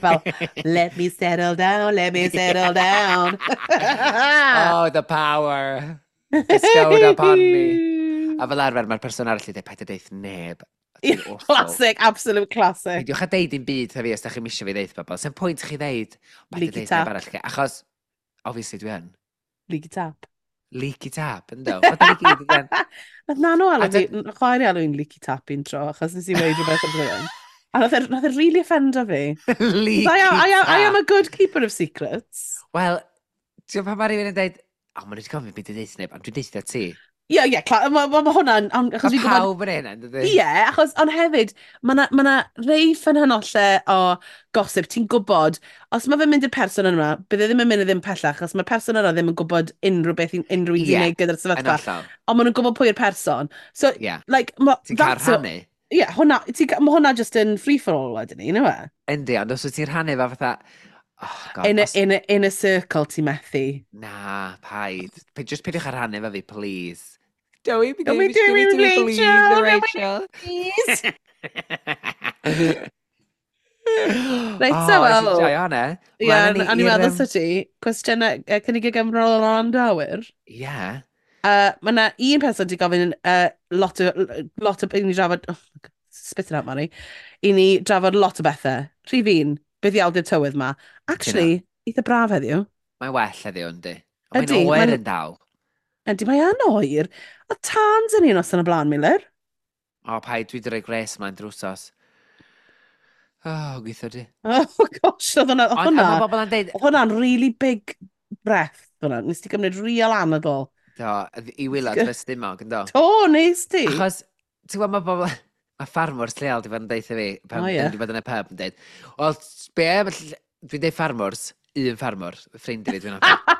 Fel, let me settle down, let me settle down. Oh, the power bestowed upon me. A fel arfer, mae'r person arall i dweud, paid â deud neb. Ti'n awful. Classic, absolute classic. Peidiwch â deud dim byd wrtha fi os da chi'n misio fi ddeud bobl. Sa'm pwynt chi ddeud, paid â Leaky deud neb tap. arall chi. Achos, obviously dwi yn. Leaky tap. Leaky tap, ynddo. Wel, da ni gyd yn. Nath nano alw A fi, chwaer i alw fi'n leaky tap un tro, achos nes i weud rhywbeth am rhywun. A nath e, nath e really offendo fi. Leaky I am, I am, I am tap. a good keeper of secrets. Wel, ti'n gwybod pan mae rhywun yn deud, o, maen nhw wedi gofyn beth i ddeud neb, ond dwi'n deud ti. Ie, ie, mae ma, ma hwnna'n... ond Achos Mae fi'n gwybod. pawb yn hynna, yn dydy? Ie, achos, ond hefyd, mae yna ma 'na rei ffynhynollau o gossip, ti'n gwybod, os mae fe'n mynd i'r person yna, bydd e ddim yn mynd i ddim pellach, achos mae'r person yna ddim yn gwybod unrhyw beth unrhyw un Ie, sy'n neud gyda'r Yn sefyllfa, hollol. ond maen nhw'n gwybod pwy yw'r person. So, Ie. like, ma, Ti'n cael that's a- rhannu. Ie, hwnna, ti'n ca- ma hwnna just yn free for all wedyn ni, yw e? Yndi, ond os wyt ti'n rhannu fe fatha, oh god, In a, os... in a, in a circle ti'n methu. Na, paid. Pe- Just peidiwch â rhannu fe fi, please. Don't be Don't be give it to me, doing please, Rachel, Rachel. Please. Reit, oh, so, nes i wel. joio hwnna. Ie, Mlaen â ni o'n i'n i'r, meddwl yym, sa ti, cwestiynau uh, cynnig y gymrol o'n dawyr. Ie. Uh, mae yna un person wedi gofyn uh, lot o, lot o, i ni drafod, oh, spit it out, Mari, i ni drafod lot o bethau. Rhif un, beth iawn di'r tywydd ma. Actually, eitha braf heddiw. Mae'n well heddiw, yndi. Ond Ydi, mae'n oer ma'n- yn dal. Ydy, mae yn oer. A tans yn un os yn y blaen, Miller. O, paid, dwi wedi rhoi gres ymlaen drwsos. Oh, gweithio di. Oh, gosh, oedd hwnna... Ond Hwnna, a mae bobl yn deud, oedd hwnna'n really big breath, hwnna. Nes ti gymryd real anadl. Do, i waelod fy stumog, yndo? To, nes ti? Achos, ti'n gwybod, mae bobl... Mae ffarmwrs lleol di fod yn deud 'tha fi, pan O, oh, ie. yeah. wedi bod yn y pub yn deud, "Wel, be, am y ll-" Dwi'n deud ffarmwrs, un ffarmwr, ffrind i fi dwi'n nabod.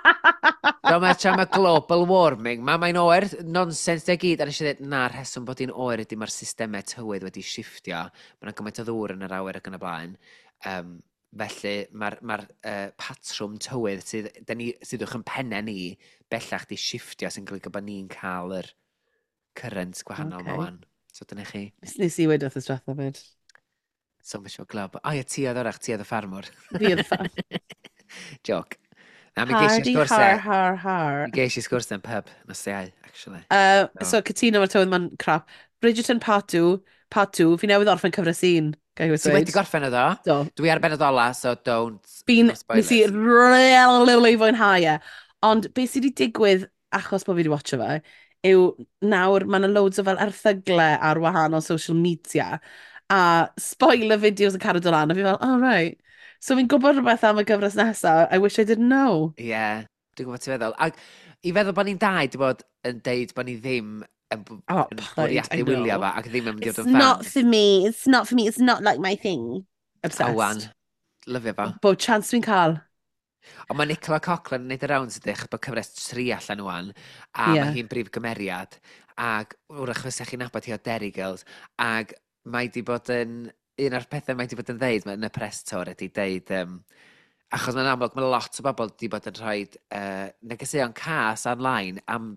"Do, mae tra mae global warming, ma, mae'n oer, nonsens de gyd." A nes i ddweud, na, rheswm bod hi'n oer ydy mae'r systemau tywydd wedi shifftio. Mae yna gymaint o ddŵr yn yr awyr ac yn y blaen. Um, felly mae'r ma uh, patrwm tywydd sydd, dyn ni, sydd uwch yn pennau ni bellach di shifftio sy'n golygu bod ni'n cael yr current gwahanol okay. Ocê. ma wan. So dyna chi. Nes, nes i weud wrth y diwetha fyd. So mae siŵr glab. O ie, ti oedd orach, ti oedd y ffarmwr. Fi oedd y ffarm. Joke. Na, mi geis i Hardy sgwrs har e. har har. Mi geis i sgwrs yn pub, nos Iau, actually. Uh, So. so, cytuno mae'r tywydd ma'n crap. Bridgerton Part two, Part two, fi newydd orffen cyfres un. Ga i Ti wedi gorffen o ddo? Do. Dwi ar benod ola, so don't. Fi'n, No spoilers. nes i really fwynhau e. Ond beth sydd wedi digwydd achos bod fi wedi watcho fe, yw nawr mae yna loads o fel erthyglau ar wahanol social media a spoiler videos yn cario dod lan, a fi fel, "Oh right. So fi'n gwybod rhywbeth am y gyfres nesaf, I wish I didn't know." Ie, yeah, dwi'n gwybod ti'n feddwl. Ac i feddwl bod ni'n dau di bod yn deud bod ni ddim yn, b- Oh, yn paid, I bwriadu wylio know. fo ac ddim yn mynd i It's fod yn not fans. for me, it's not for me, it's not like my thing. Obsessed. A wan, lyfio fo. Bob chance dwi'n cael. Ond mae Nicola Coughlan yn neud y rounds ydych bod cyfres tri allan wan, a Ie. mae hi'n brif gymeriad, ac wrach fysa chi'n nabod hi o Derry Girls, ac mae di bod yn, un o'r pethau mae di bod yn ddeud yn y press tour ydy deud, um, achos mae'n amlwg mae lot o bobl di bod yn rhoi uh, negeseuon cas online am,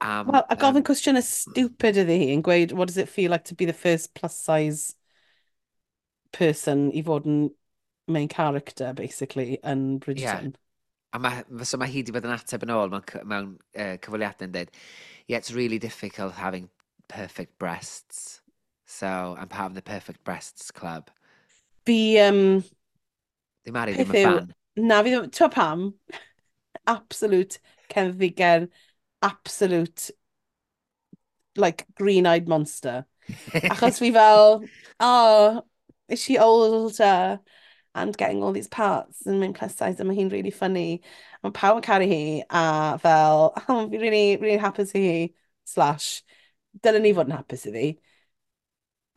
am Wel, a gofyn cwestiynau stupid iddi hi yn gweud, "What does it feel like to be the first plus size person i fod yn main character, basically, yn Bridgerton?" A mae, so mae hi wedi bod yn ateb yn ôl mewn, cy- mewn uh, cyfweliadau yn dweud, "Yeah, it's really difficult having perfect breasts. So, I'm part of the Perfect Breasts Club." Fi, um, Di Mari ddim peth yn yw, fan. Na, fi ddim, ti'n pam? Absolute cenfigen, absolute, like, green-eyed monster. Achos fi fel, "Oh, is she older and getting all these parts and mewn plus size a mae hi'n really funny?" Mae pawb yn caru hi a fel, oh, fi really, really hapus i hi, slash, dylen ni fod yn hapus iddi.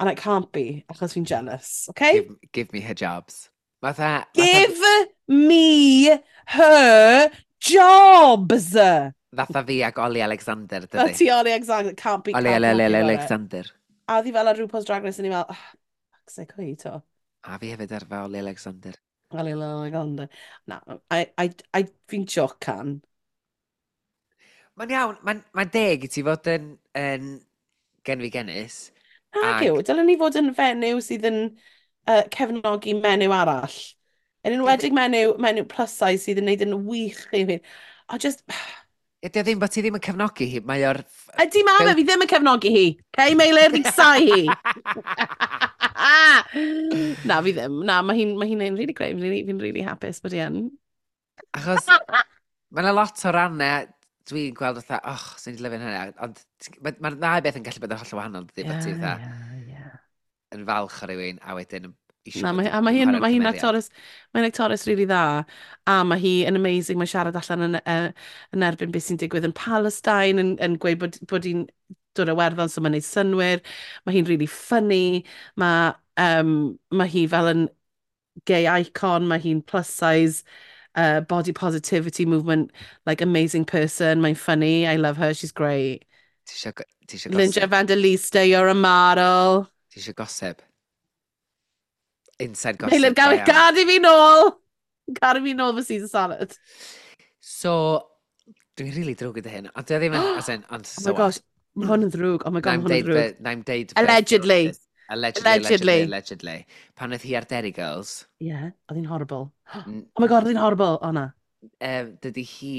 And I can't be, achos fi'n jealous, okay? Give, give me her jobs. Fatha... fatha, Give me her jobs! Fatha fi ag Ollie Alexander, Fel dydy. ti Ollie Alexander, can't be, Ollie can't be Ale- happy Ale- about it. Alexander. A oedd hi fel ar RuPaul's Drag Race, a ni fel, "Oh, fuck's sake, pwy to?" A fi hefyd ar fe Ollie Alexander. Ollie Alexander. Na, I, I, I, fi'n jocan. Mae'n iawn, mae'n mae deg i ti fod yn, yn genfigennus. Nag Ag- yw, dylen ni fod yn fenyw sydd yn uh, cefnogi menyw arall. Yn enwedig menyw, menyw plus size sydd yn neud yn wych i fi. A just, Ydy o ddim bod ti ddim yn cefnogi hi, mae o'r... Ydy ma fe, fi ddim yn cefnogi hi. Cei Meilir, fi'n casau hi. Na, fi ddim. Na, mae hi'n mae hi'n neud really great. Fi'n really, fi really hapus bod hi yn. Achos mae yna lot o rannau dwi'n gweld fatha, "Och, sy'n ni'n lyfio'n hynny," ond mae'r ma ddau beth yn gallu bod yn hollol wahanol, dydy, bod ti fatha ie, ie. yn falch o rywun a wedyn isio Na, bod mae, a mae hi'n chwarae'r mae hi'n cymeriad. actores, mae'n actores really dda, a mae hi yn amazing, mae'n siarad allan yn, uh, yn erbyn beth sy'n digwydd yn Palestine, yn, yn gweud bod, bod hi'n dod o Werddon, so mae'n neud synwyr, mae hi'n really funny, mae, um, mae hi fel yn gay icon, mae hi'n plus size, uh, body positivity movement, like amazing person, mae'n funny, I love her, she's great. Ti isio go- ti isio Linda gossip? Evangelista, you're a model. Ti isio gossip? Inside gossip. Meilir, go gad iawn. gad i fi nôl! Gad i fi nôl fy Caesar salad. So, dwi'n really drwg gyda hyn, ond dwi ddim yn, as in, ond Oh so my what? gosh, mae hwn yn ddrwg. Oh my god, Na'n mae hwn yn deud ddrwg. fe- na'n deud fe- Allegedly. Allegedly, allegedly, Allegedly. allegedly. Pan oedd hi ar Derry Girls, Yeah, oedd hi'n horrible. n- Oh my god, oedd hi'n horrible. O na. um, dydy hi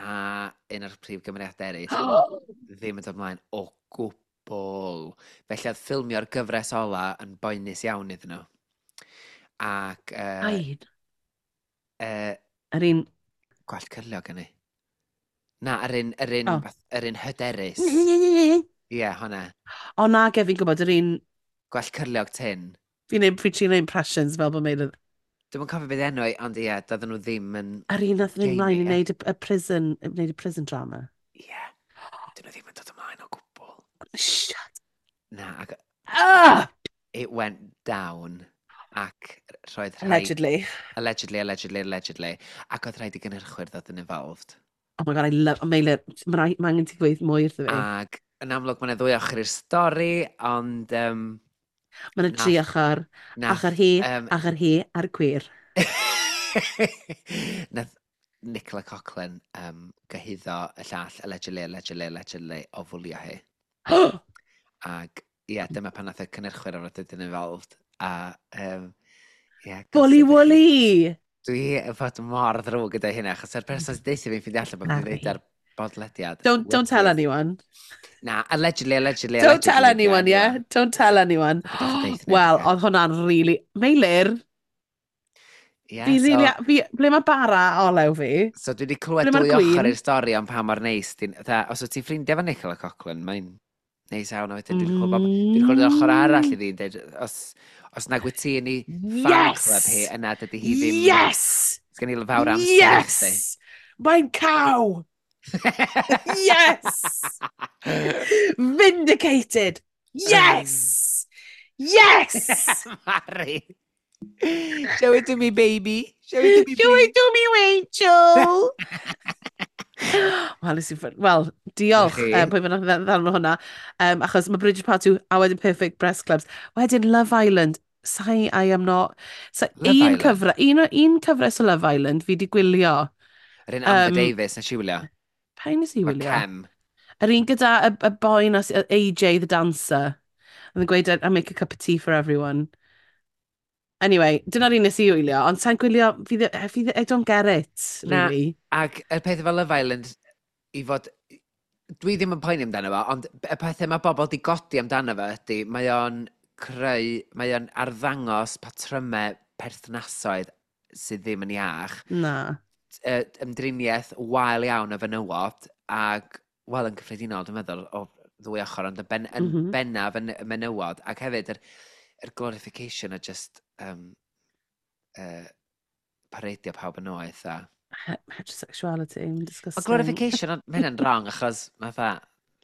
a un o'r prif gymeriadau eraill ddim yn dod ymlaen o gwbl. Felly oedd ffilmio'r gyfres ola yn boenus iawn iddyn nhw. Ac uh, Aid. uh, Yr un gwallt cyrliog yn ei. Na, yr un, yr un, Oh. fath- yr un hyderus. Ie, yeah, hwnna. O na, ge, fi'n gwybod, yr un. Gwell cyrliog tyn. Fi'n neud, fi'n trio neud impressions fel bod Meilir. Dwi'm yn cofio beth enw i, ond ie, yeah, doedden nhw ddim yn. Yr un nath fynd mlaen i Jamie, ie. wneud y, y prison, wneud y prison drama. Ie. Yeah. Dyn nhw ddim yn dod ymlaen o gwbl. Shut Na, ac up! It went down. Ac roedd rhaid. Allegedly. Allegedly, allegedly, allegedly. Ac oedd rhaid i gynhyrchwyr ddod yn involved. Oh my God, I love. Meilir, mae ma angen ti gweud mwy wrtho fi. Ac yn amlwg mae yna ddwy ochr i'r stori, ond Um, Mae yna tri nath- ochr. Nath, Ochr hi, um, ochr hi, a'r gwir. Nath Nicola Coughlan um, gyhuddo y llall, allegedly, allegedly, allegedly, o fwlio hi. Ac ie, yeah, dyma pan nath y cynhyrchwyr o'r dod yn involved. A, um, ie, Bully gossip i chi. Wooly! Dwi yn fod mor ddrwg gyda hynna, achos yr person sy'n deutha fi'n ffeindio allan bod fi'n Mari. dweud ar bodlediad. Don't, don't tell Wydydd. anyone. Na, allegedly, allegedly, Don't tell allegedly, anyone, yeah? Don't tell anyone. Peidiwch â deutha neb, Wel, ocê? oedd hwnna'n really. Meilir, Ie, fi so, really. Fi, ble mae bara olew fi? So dwi wedi clywed Ble mae'r dwy ochr gwin? i'r stori am pa mor neis. Di'n, fatha, os wyt ti'n ffrindiau efo Nicola Coughlan, mae'n neis iawn. A wedyn dwi wedi clywed, bob- dwi wedi clywed yr ochr arall iddi yn dweud, os, os nag wyt ti yn ei fan Yes! club hi, yna dydy hi ddim. Yes! Sgen i fawr amser i Yes! chdi. Mae'n cow! Yes! Vindicated! Yes! Yes! Mari! Show it to me, baby. Show it to me, Show please. it to me, Rachel! Wel, nes i ffyr- Wel, diolch. Chi. Um, pwy bynnag ddarn hwnna. Um, achos mae Bridget Part two a wedyn Perfect Breast Clubs. Wedyn Love Island. Sai, I am not. So, Love un Island? cyfres, un, un cyfres o Love Island fi di gwylio. Yr un Amber Um, Davies, nes i wylio. Pa un nes i Efo wylio? Kem. Yr un gyda y, y boi na, A J the dancer. Oedd yn gweud, "I make a cup of tea for everyone." Anyway, dyna'r un nes i wylio, ond sa'n gwylio, fi, ddi- fi, ddi- I don't get it, Na. really. Ac y peth efo Love Island, i fod. Dwi ddim yn poeni amdano fo, ond y pethau mae bobl di godi amdano fo ydy, mae o'n creu, mae o'n arddangos patrymau perthnasoedd sydd ddim yn iach. Na. Uh, ymdriniaeth wael iawn o fenywod, ac, wel, yn cyffredinol, dwi'n meddwl, o ddwy ochr, ond yn, ben, yn mm Mm -hmm. bennaf yn y menywod, ac hefyd yr, yr glorification o just um, uh, pareidio pawb yn oeth a He- Heterosexuality, Mae disgusting. glorification, ond mae hynna'n wrong, achos mae fatha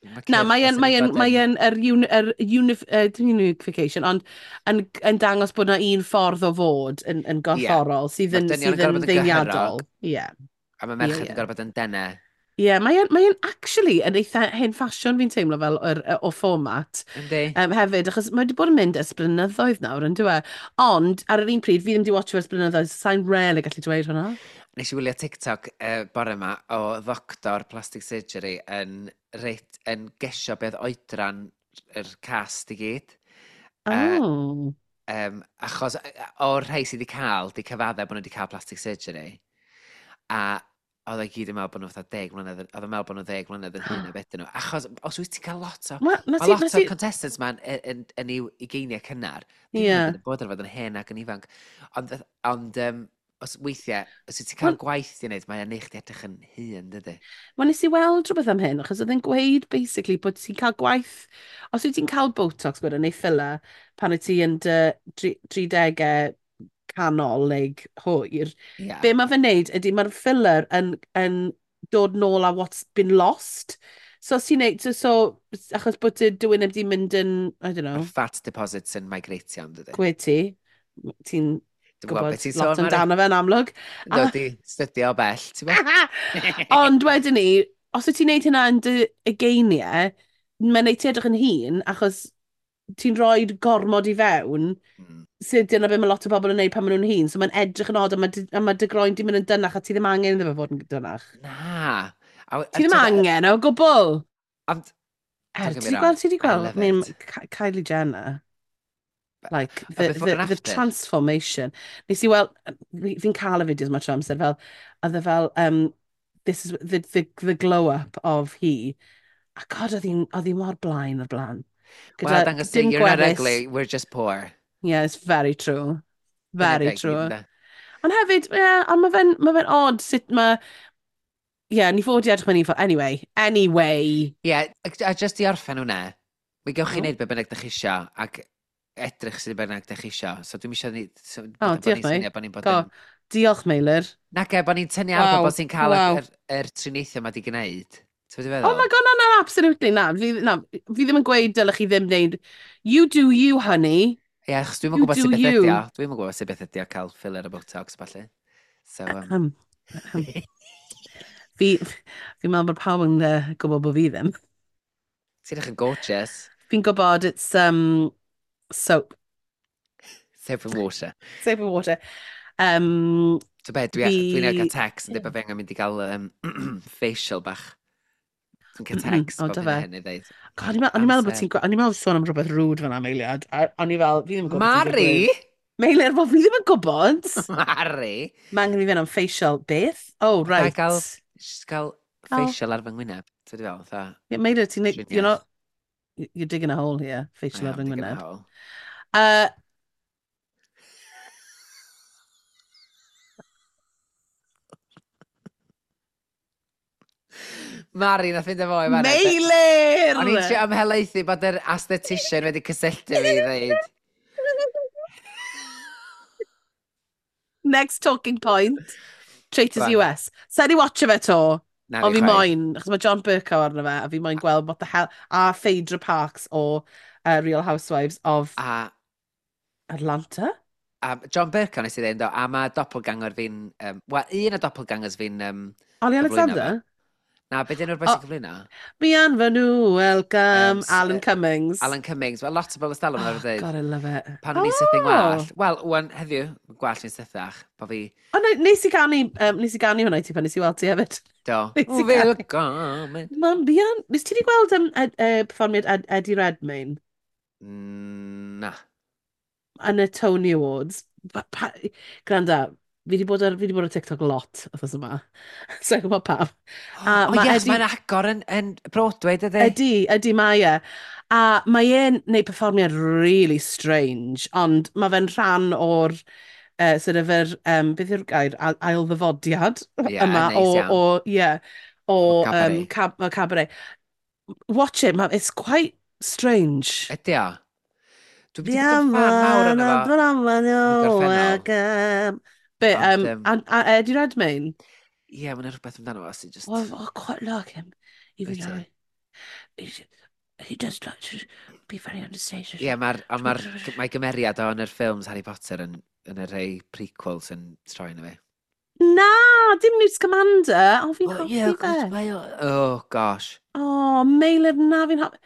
ma' Na, cyrff mae yn, sydd mae wedi yn, bod mae yn yr, uni, yr unif, uh, dim unification, ond yn, yn dangos bod na un ffordd o fod yn, yn gorfforol sydd Ma'r yn, dynion yn sydd gorfod yn bod yn ddeiniadol. Ie. A mae merched Ie, ie. yn gorfod bod yn denau. Ie, mae yn, mae yn actually yn eitha hen ffasiwn fi'n teimlo fel yr, o fformat. Yndi? Um, hefyd, achos mae wedi bod yn mynd ers blynyddoedd nawr, yn dyw e? Ond, ar yr un pryd, fi ddim wedi watcho ers blynyddoedd, so sa'n really gallu dweud hwnna. Nes i wylio TikTok uh, bore yma o ddoctor plastic surgery yn, reit, yn gesio beth oedran yr cast i gyd. Yy, Oh. Um, achos yy, o'r rhai sydd wedi cael, di cyfadde bod nhw wedi cael plastic surgery. A oedd e gyd yn meddwl bod nhw fatha deg mlynedd, yn- oedd yn meddwl bod nhw ddeg mlynedd yn hyn na beth nhw. Achos os wyt ti'n cael lot o Ma, na Mae ti, lot na o'r ti, contestants ma'n yn, yn, yn i'w ugeiniau cynnar. Ddim Ie. yn bod ar fod yn hen ac yn ifanc. Ond, ond um, os weithiau, os wyt ti'n cael Wel- gwaith i wneud, mae'n neud chdi edrych yn hŷn, dydy? Wel, nes i weld rhywbeth am hyn, achos oedd e'n gweud, basically, bod ti'n cael gwaith, os wyt ti'n cael Botox gweda, neu filler, pan wyt ti yn dy dri- tridegau canol neu hwyr, Ie. be mae fe'n neud ydy mae'r filler yn, yn dod nôl â what's been lost. So os ti'n neud, so, so achos bod dy dywyneb di mynd yn, I don't know, Mae'r fat deposits yn migratio, yn dydy? Gwe ti, ti'n Dwi'n gwybod gwybod beth ti'n lot sôn, Mari. amdano fe'n amlwg. Dod i stydio o bell, ti'n gwybod? Ond wedyn ni, os wyt ti'n neud hynna yn dy ugeiniau, mae'n neud ti edrych yn hŷn, achos ti'n rhoi gormod i fewn, Mm. sydd dyna be mae lot o bobl yn neud pan maen nhw'n hŷn, so mae'n edrych yn od a mae dy, a mae dy groen di mynd yn dynach a ti ddim angen iddo fe fod yn dynach. Na. A, a Ti ddim t'od, angen o gwbl. Ond, Er, don't get ti me di wrong, gweld, ti di I gweld, love I mean, it. Ky- Kylie Jenner. Like, A the, before the, and the after. transformation. Nes i weld, fi- fi'n cael y fideos ma trwy amser fel, oedd e fel, um, this is the, the, the glow up of hi. A God, oedd hi'n oedd hi mor blaen o'r blaen. Wel, Gyda dangos ti, dim you're not gwefus. ugly, we're just poor. Yeah, it's very true. Dyna Very fe i gyd, true. ynde? Ond hefyd, yeah, ond mae fe'n ma fe odd sut mae Ie, yeah, ni fod i edrych mewn un ffordd. Anyway, anyway. Ie, yeah, a just i orffen hwnna, mi gewch chi Oh. wneud be bynnag dych chi isio, ac edrych sydd bynnag dych chi isio. So dwi'n isio ni... So, Oh, bod diolch, ni'n swnio mate. bod ni'n bod Go. yn... Diolch, Meilir. Nac e, bod ni'n tynnu ar Waw, bobl sy'n cael y- waw. yr, yr triniaethau yma di gwneud. Ti'n gwbod be Oh feddwl? my God, no, no, absolutely, na. Fi, na, fi ddim yn gweud dylech chi ddim wneud. You do you, honey. Ie, achos dwi'm yn You gwybod do sut beth you. ydi o. Dwi'm yn gwybod sut beth ydi o cael filler a Botox, falle. So, um, Um, um, fi, fi'n meddwl bod pawb yn uh, gwybod bod fi ddim. Ti'n edrych yn gorgeous. Fi'n gwybod it's um, soap. Soap and water. Soap and water. Um, So be, dwi, Fi- dwi'n cael text yn dweud bod fi angen mynd i gael um, facial bach. Dwi'n cael text O, bob do hyn a fe? hyn i ddeud. God, o'n i'n meddwl- o'n i'n meddwl bod ti'n... O'n i'n meddwl sôn am rhywbeth rude fan'na, Meiliad. A o'n i fel, fi ddim yn gwybod beth sy'n Mari! digwydd. Meilir, wel, fi ddim yn gwybod. Mari! Mae angen i fi fynd am facial. Beth? Oh, Fatha right. gael, just gael Gael- facial ar fy ngwyneb. Ti'n fel, fatha... Yeah, Meilir, ti'n... You're Triniaeth. not... You're digging a hole here. I Facial ar am fy digging a ngwyneb. hole. Uh, Mari, nath fynd efo i fan'na. Meilir! O'n i'n trio ymhelaethu bod yr esthetician wedi cysylltu fi i ddeud. Next talking point. Traitors Go on. U S. Sa'n i watcho fe to? Na Ond fi fi chwaith. moyn, achos mae John Burko arno fe, a fi moyn gweld what the hell, a Phaedra Parks o uh, Real Housewives of A, Atlanta? A John Burko nes i ddweud, do, a mae doppelganger fi'n... Um, Wel, un o doppelgangers fi'n... Um, Ollie cyflwyno fe. Alexander? Na, beth yw'r boi O. sy'n cyflwyno? Bienvenue, welcome, Um, s- Alan yy, Cummings. Alan Cummings. Wel, lot o bobl ystalwm Oh, yn dweud. God, I love it. Pan o'n i'n sythu'n Oh. gwallt. Wel, wan, heddiw, mae gwallt fi'n sythach. Bo fi... O, ne- nes i ganu, um, nes i ganu hwnna i ti pan nes i weld ti hefyd. Do. Nes i ganu. Willkommen. Man, Bian, nes ti di gweld um, ed, uh, perfformiad Ed, Eddie Redmayne Mm, Na. yn y Tony Awards? Pa, pa, granda, fi di bod ar, fi di bod ar TikTok lot wythnos yma. So i'n gwybod pam. A O, ma' yes, Eddie- mae'n agor yn, yn Broadway, dydy? Ydy, ydy mae e. A mae e'n neud perfformiad really strange, ond mae fe'n rhan o'r uh, sort of yr, um, beth yw'r gair, Ail- ailddyfodiad Ie, yma neis o, iawn. o, ie, o, O um, cabaret. cab, o cabaret. Watch it, ma, it's quite strange. Ydy o? Dwi wedi bod yn fan mawr arno fo. Yn y gorffennol. Be, Ond, um, yym, a, a Eddie Redmayne? Ie, mae'n rhywbeth amdano fo sy'n just... Well, I quite like him, even Wyt though ti? he, he does like to be very understated. Ie, mae'r ond mae'r mae gymeriad o yn yr ffilms Harry Potter yn, yn y rhai prequels yn troi yn fi. Na, dim Newt Scamander. O, fi'n Oh, hoffi yeah, fe. mae o... Oh, gosh. O, Meilir, na, fi'n hoffi.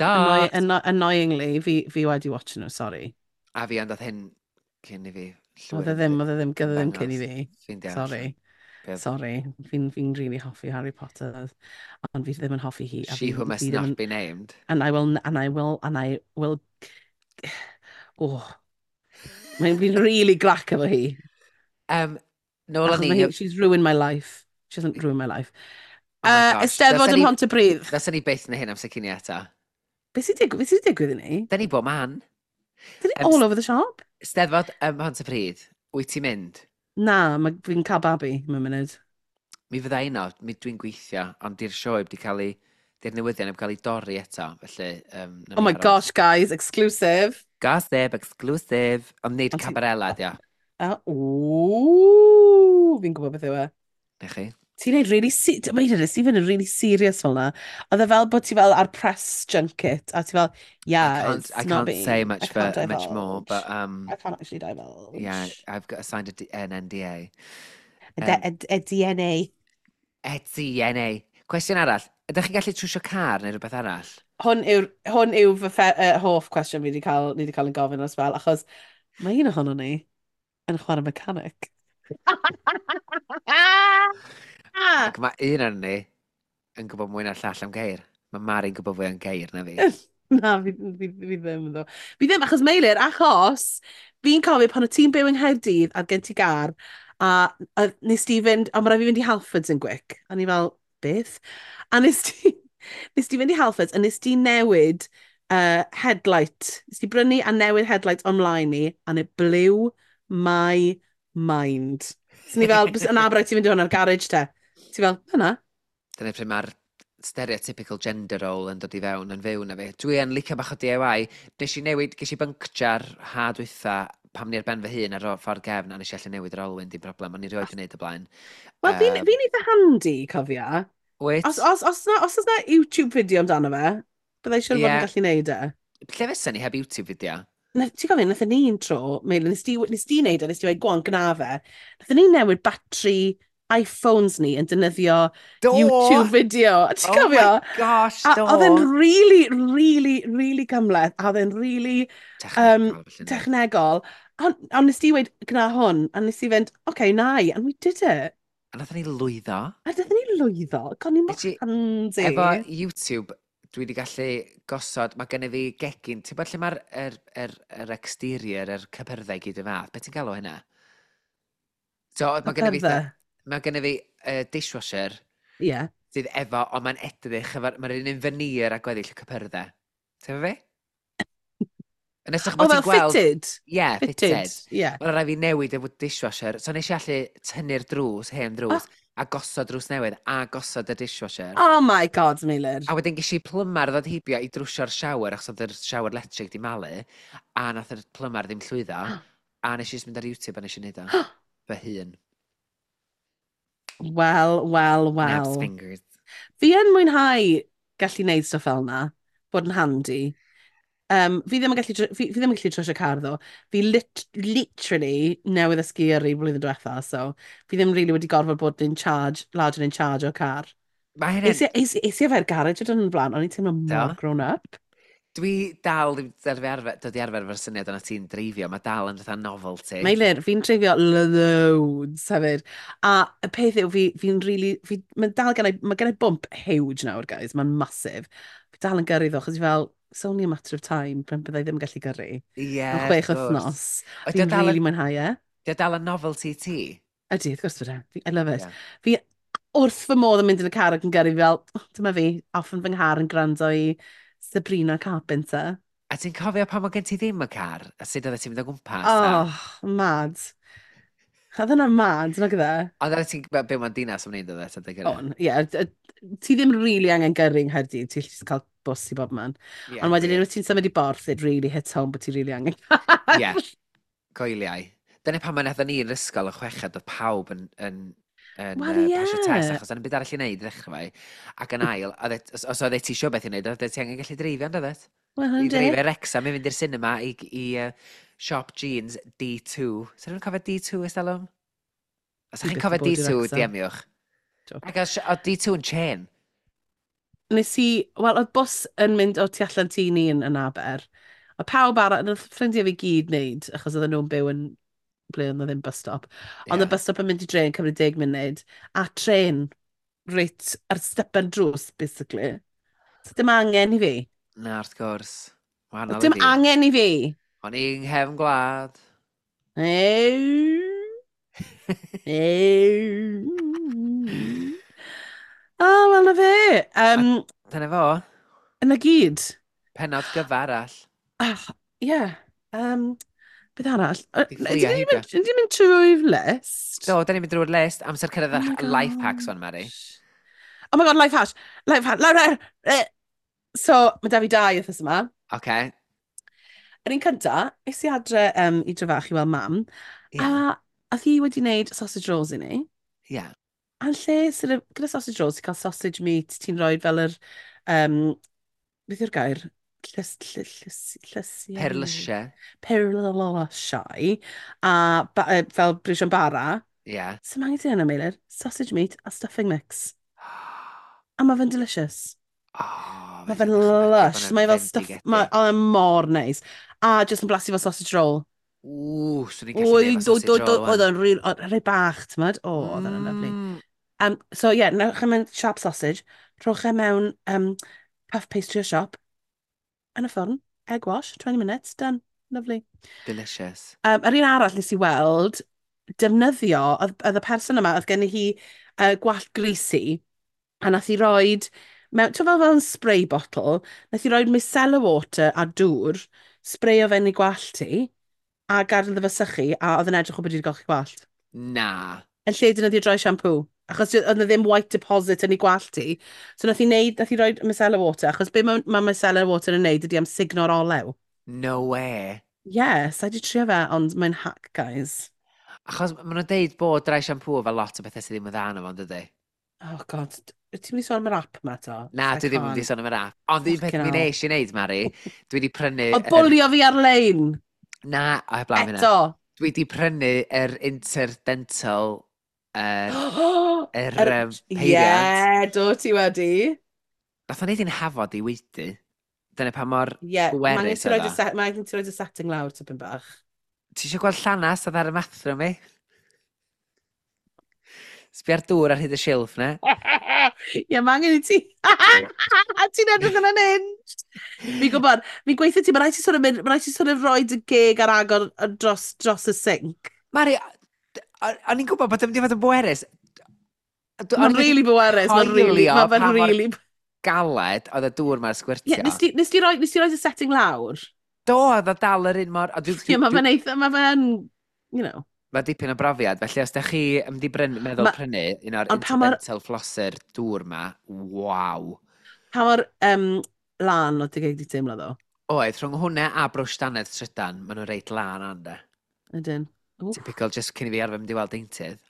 Annoy, Stop! anno, annoyingly, fi, fi wedi watching nhw, sorry. A fi ond oedd hyn cyn i fi llwyr Oedd e ddim, oedd e ddim, oedd e ddim cyn i ymddangos. fi. Fi'n deall. Sorry. Be- Sorry. Fi'n fi really hoffi Harry Potter, ond fi ddim yn hoffi hi. A She fi, who must fi ddim not yn, be named. and I will, and I will, and I will, oh. Mae'n fi'n really grac efo hi. Um, nôl Achos o'n mae i... hi, she's ruined my life. She hasn't ruined my life. Oh my Uh, gosh. Eisteddfod Ddylsen ym ni- Mhontypridd. Ddylsen ni byth na hyn am secini eto. Beth sy'n digwydd, beth sy'n digwydd i ni? Da ni bob man. Dyn ni Yym, all over the shop? Steddfod ym Mhontypridd, wyt ti'n mynd? Na, mae fi'n cael babi mewn munud. Mi fydda i yno, mi dwi'n gweithio, ond di'r sioe wedi cael ei... Di'r newyddion heb cael ei dorri eto, felly... Um, Oh my gosh, guys, exclusive. Gossip, exclusive. Ond nid Ond ti- Cabarella, dio. Uh, ooh, fi'n gwybod beth yw e. Na chi? Ti'n neud really... Se Wait a minute, ti'n fynd yn really serious fel na. Oedd e fel bod ti fel ar press junket, a ti fel, yeah, I can't, it's I not can't me. say much I can't for, much more, divulge. but um, I can't actually divulge. yeah, I've got signed a D an N D A. A, Um, a, a D N A. E D N A. Cwestiwn arall, ydych chi'n gallu trwsio car neu rhywbeth arall? Hwn yw'r, hwn yw fy ffe, uh, hoff cwestiwn fi wedi cael, ni wedi cael yn gofyn os fel, achos mae un ohono ni yn chwarae mechanic. Ac mae un arno ni yn gwybod mwy na'r llall am geir. Mae Mari'n gwybod fwy am geir na fi. Na, fi, fi, fi ddim ddo. Fi ddim, achos Meilir, achos fi'n cofio pan o ti'n byw yng Nghaerdydd a gen ti gar, a, a nes ti fynd, a mae rhaid fi fynd i Halfords yn gwic. A ni fel, beth? A nes ti, nes ti fynd i Halfords a nes ti newid uh, headlight. Nes ti brynu a newid headlight online ni, and it blew my mind. So ni fel, na, rhaid ti fynd i hwn ar garage te. Ti fel, yna. Dyna pryd mae'r stereotypical gender role yn dod i fewn yn fyw na fi. Dwi yn licio bach o D I Y. Nes i newid, ges i byncjar ha dwytha pam ni ar ben fy hun ar y ffordd gefn a nes i allu newid yr olwyn, dim problem, o'n i rioed yn neud o blaen. Wel, fi'n Um, fi eitha handy, cofia. Wyt? Os, os, os, na, os oes na YouTube video amdano fe, byddai siŵr fod Ie. yn gallu neud e. Lle fysa ni heb YouTube video? Na, ti'n gofyn, nathon ni un tro, Meilir, nes di, nes di neud e, nes di weud, "Go on, gna fe." Nathon ni newid batri iPhones ni yn defnyddio Do! YouTube video. Ti'n Oh cofio? my gosh, A do! oedd e'n really, really, really gymhleth, a oedd e'n really Technegol, um, felly, yndo? Technegol. Ond on nes di weud, "Gna hwn," a nes i fynd, "Okay, na i," and we did it. A nathon ni lwyddo. A nathon ni lwyddo, god, ni mor Nes i- handy. Efo YouTube, dwi wedi gallu gosod, mae gennyf fi gegin, ti'n bod lle mae'r er, er, er exterior, yr cypyrddau gyd y fath, beth ti'n galw hynna? So, mae gennyf fi, Cypyrddau? mae gennyf fi uh, dishwasher Ie. Yeah. sydd efo, ond mae'n edrych, efo'r, mae'r un un veneer a gweddill y cypyrddau. Ti'n efo fi? Yn edrych O, bod fel ti'n gweld. fitted? Ie, yeah, Fitted, fitted. ie. Yeah. Mae'n rhaid fi newid efo dishwasher. So nes i allu tynnu'r drws, hen drws, a gosod drws newydd, a gosod y dishwasher. Oh my God, Meilir. A wedyn ges i plymar ddod heibio i drwsio'r shower, achos oedd yr shower electric di malu, a nath yr plymar ddim llwyddo, a nes i just mynd ar YouTube a nes i wneud o. Fy hun. Wel, wel, Nabs wel. fingers. Fi yn mwynhau gallu neud stwff fel na, bod yn handy. Um, fi ddim yn gallu, tr- fi, fi ddim yn gallu trwsio car ddo. Fi lit, literally newydd ddysgu yrru blwyddyn diwetha, so fi ddim really wedi gorfod bod in charge, large and in charge o car. Mae hynny'n Es i, es, es i efo'r garage o dyn yn blaen, o'n i'n teimlo Do? mor grown up. Dwi dal ddim dod i arfer, dod i arfer efo'r syniad yna ti'n dreifio, mae dal yn fatha novelty. Meilir, fi'n dreifio loads hefyd. A y peth yw, fi, fi'n really... Fi, mae'n dal gennau, mae gennau bump huge nawr, guys. Mae'n massive. Fi dal yn gyrru ddo, chos fi fel, it's only a matter of time pan byddai ddim yn gallu gyrru. Ie, Mewn wrth chwech gwrs. wythnos. Ydy o Fi'n dal yn really mwynhau e. Ydy o dal yn novelty ti? Ydy, wrth gwrs bod e. Fi- I love it. Ie. Fi wrth fy modd yn mynd yn y car ac yn gyrru fi fel, "Oh, dyma fi, off yn fy nghar yn gwrando i Sabrina Carpenter." A ti'n cofio pan mae gen ti ddim y car? A sut oeddet ti'n mynd o gwmpas? A Oh, mad. Oedd hwnna'n mad, nag oedd e? Ond oeddet ti'n byw mewn dinas am wneud oedd e, gyda? On, ie. Ti ddim really angen gyrru yng Nghaerdydd, ti'n just cael bws i bob man. Ie, Ond wedyn gwir. unwaith ti'n symud i Borth, it really hits home bod ti really angen car. Ie, coeliau. Dyna pan mae nathon ni yn yr ysgol yn chweched, oedd pawb yn, yn, yn Wel, uh, ie. pasio test, achos yna'n byd arall i wneud i ddechrau fai. Ac yn ail, oedd e- os, os oedd ti isio beth i wneud, oedd ti angen gallu dreifio, ond oedd Wel, I hynny. dreifio i Wrexham, i fynd i'r cinema, i, i uh, siop jeans D two. Sa rhywun cofio D two ers talwm? Os Dwi ydych chi'n byth cofio yn bod i D two, Wrexham. D M-iwch. Joke. Ac oedd oedd D two yn chain. Nes i, wel, oedd bws yn mynd o tu allan tŷ ni yn, yn Aber. Oedd pawb arall, oedd ffrindiau fi gyd wneud, achos oedden nhw'n byw yn ble oedd 'na ddim bus stop. Ond Ie. y bus stop yn mynd i dre yn cymryd deg munud, a tren reit ar stepen drws, basically. So dim angen i fi. Na, wrth gwrs. Wahanol i Dim fi. angen i fi. O'n i'n nghefn gwlad. Ew. Ew. O, wel na fe. Um, Dyna fo. Yna gyd. Penod gyfa arall. Ah, ie. Yeah. Um, beth arall? Yy, Di Ydyn fflio ni'n heibio. mynd, ydyn ni'n mynd trwy'r list? Do, da ni'n mynd drwy'r list. Amser cyrraedd Oh my yr life hacks one, Mari. gosh. Oh my God, life hack. Life hack. Life hack. Eh. So, mae da fi dau wythnos yma. Oce. Yr un cynta, es i adre um, i Drefach i weld mam, Ie. a oedd hi wedi wneud sausage rolls i ni. Ie. A yn lle, sort of, gyda sausage rolls, ti'n cael sausage meat, ti'n rhoi fel yr, um, beth yw'r gair? Llys, llys, llys, llysiau? Perlysiau. Perlysiau. A ba, uh, fel briwsion bara. Ie. So angen ti yna, Meilir? Sausage meat a stuffing mix. A mae fe'n delicious. Oh, Mae fe'n lush. Mae fel stuff. Mae o'n mor neis. A just yn blasu fel sausage roll. Ww, swn i'n gallu Wy, neud efo do, do, sausage do, roll oedd wan. o'n real, oedd rhai bach, ti'n modd? O, oedd o'n lovely. Mm. Um, so ie, yeah, newch e mewn siap sausage, rhowch e mewn um, puff pastry o siop, yn y ffwrn, egg wash, twenty minutes, done. Lovely. Delicious. Um, yr un arall nes i weld, defnyddio, oedd, oedd y person yma, oedd gen i hi uh, gwallt greasy, a nath i roed, mewn, ti'n fel fel yn spray bottle, nath i roed micellar water a dŵr, sprayo fe'n ei gwallt hi, a gadael iddo fe sychu, a oedd yn edrych o bod wedi golchi gwallt. Na. Yn lle defnyddio dry shampoo. Achos oedd 'na ddim white deposit yn ei gwallt hi. So nath hi neud, nath hi roi micellar water, achos be mae ma micellar water yn neud ydy amsugno'r olew. No way. Yes, I di trio fe, ond mae'n hack, guys. Achos maen nhw'n deud bod dry shampoo efo lot o bethau sydd ddim yn dda yno fo, dydy? Oh God, ti'n mynd i sôn am yr app ma to? Na, dwi ddim yn mynd i sôn am yr app. Ond un peth mi nes i wneud, Mari, dwi wedi prynu... Oedd bwlio fi ar-lein! Na, o heblaw hynna. Eto! Dwi wedi prynu yr interdental, yr, yr Yr- um, peiriant. Ie, do ti wedi. Nath o'n neud i'n hafod i weidi. Dyna pa mor Ie, mae angen bwerus ti oedd roid o. y set- mae angen ti roid y setting lawr tipyn bach. Ti eisiau gweld llanas oedd ar y bathroom i? Sbia'r dŵr ar hyd y silff na. Ie, mae angen i ti... Ti'n edrych yn unhinged. Fi'n gwybod, fi'n gweithio ti, mae rhaid ti sort of mynd, mae rhaid ti sort of rhoi dy geg ar agor yy, dros, dros y sink. Mari, o- o'n i'n gwybod bod yn mynd i fod yn bwerus. D- o'n Mae'n i wedi really bwerus, mae'n really, coelio mae fe'n pa mor really... galed oedd y dŵr ma'n Ie, sgwirtio. nes ti, nes ti roi, nes ti roi y setting lawr? Do, oedd o dal yr un mor... a dwi- Ie, dwi- mae dwi- fe'n eitha, mae fe'n, you know. Mae dipyn o brofiad, felly os da chi yn mynd i bryn, meddwl Ma- prynu un o'r Ond pa mor- interdental flosser dŵr ma, waw. Pa mor um, lan oedd dy geg di teimlo ddo? Oedd, rhwng hwnna a brwsh dannedd trydan, maen nhw'n reit lan ande. Ydyn. Wff, Typical, just cyn i fi arfer mynd i weld deintydd.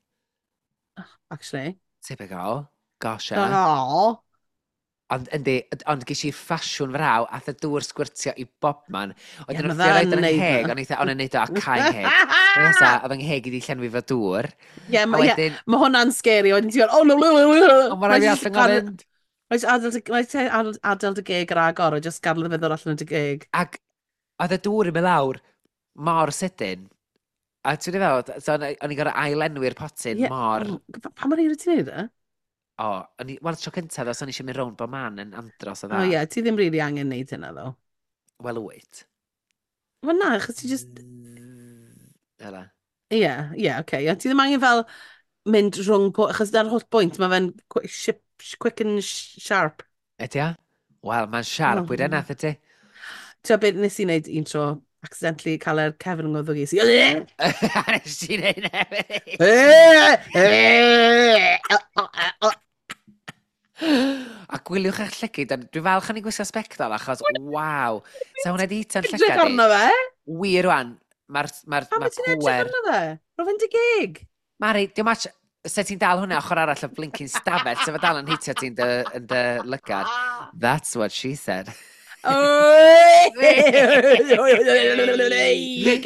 Actually. Typical. Gosh, e. Oh. Ond yndi, ond ges i ffasiwn fraw, ath y dŵr sgwirtio i bobman. Ie, Wedyn ma' wrth i roed fe'n yn neud ngheg, na. o'n eitha, o'n i'n neud o a cau ngheg. O'n nesa, oedd yng ngheg i di llenwi fo dŵr. Ie, A ma, ie, wedyn, ma hwnna'n scary. Wedyn ti'n gweld, oh no, no, no, no. ond mae rhaid fi allan o fynd. Rhaid adael dy- rhaid ti adael, adael dy geg ar agor a just gadael iddo fe ddod allan o dy geg. Ac oedd y dŵr yn mynd lawr mor sydyn. A ti'n fel, so o'n i o'n i'n gorfod ailenwi'r potyn Ie, mor. oh, pa mor hir wyt ti'n neud e? O, o'n i, wel, tro cyntaf, os o'n i eisiau mynd rownd bob man yn andros o O dda. ie, ti ddim really angen neud hynna ddo. Wel, wyt. Wel na, achos ti just. Ela. Ie, ie, oce. Ie, ti ddim angen fel mynd rhwng. po- Achos dyna'r holl bwynt, mae fe'n quick, ship, quick and sharp. Ydy o? Wel, mae'n siarp, Oh, wyd yna, ydy. Ti'n beth nes i wneud un tro, accidentally cael yr cefn yng ngwddwg i. Si... Nes ti wneud hefyd. A gwyliwch eich llygyd, a dwi'n falch o'n i'n gwisgo sbectol, achos, waw, sa hwnna di hito'n Edrych llygad i. arno fe? Wir rwan, mae'r ma Pam ma wyt ti'n edrych pwer. arno fe? Ro fe'n dy geg. Mari, diolch much, se ti'n dal hwnna ochr arall o blincin stafell, se fe dal yn hitio ti'n dy, yn dy lygad. That's what she said.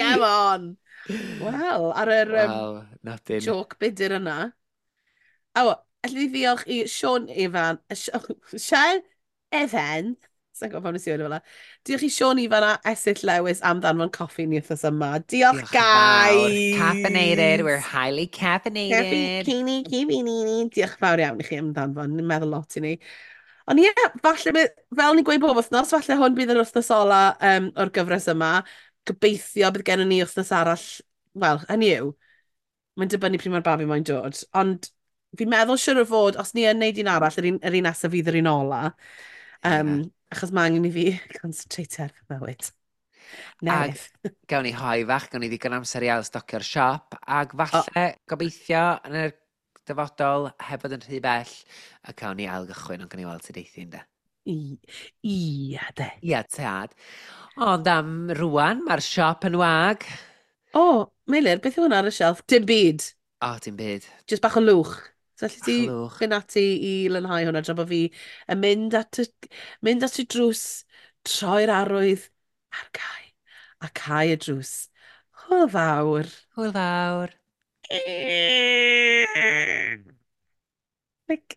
Come on. Wel, ar yr um, Wel, nodyn. joke budur yna. O, allwn ni ddiolch i Sean Ifan, Sean Evan, sa'n gwybod pam nes i weud o fel 'na. Diolch i Sean Ifan a Esill Lewis am ddanfon coffi ni wythnos yma. Diolch, Diolch yn fawr. Guys! Caffeinated, we're highly Caffi, caffeinated. cini, cini, nini. Diolch yn fawr iawn i chi am ddanfon, ni'n meddwl lot i ni. Ond ie, falle, bydd- fel ni'n gweud bob wythnos, falle hwn bydd yr wythnos ola um, o'r gyfres yma. Gobeithio bydd gennym ni wythnos arall, wel, hynny yw, mae'n dibynnu pryd mae'r babi mae'n dod. Ond fi'n meddwl siwr o fod, os ni yn neud un arall, yr un, yr un nesaf fydd yr un ola. Um, Ie. Achos mae angen i fi concentrate ar fy mywyd. Newydd. Gawn ni hoe fach, gawn ni ddigon amser i ailstocio'r siop, ac falle, gobeithio, yn yr dyfodol, heb fod yn rhy bell, a cawn ni ailgychwyn, ond gawn ni weld sut eithi ynde. I, ia, de. Ia, tad. Ond am rwan, mae'r siop yn wag. O, Meilir, beth yw hwnna ar y shelf? Dim byd. O, dim byd. Just bach o lwch. So allu ti Bach o lwch. fynd ati i lanhau hwnna tra bod fi yn mynd at y, mynd at y drws, troi'r arwydd ar gau, a cau y drws. Hwyl fawr. Hwyl fawr. Like,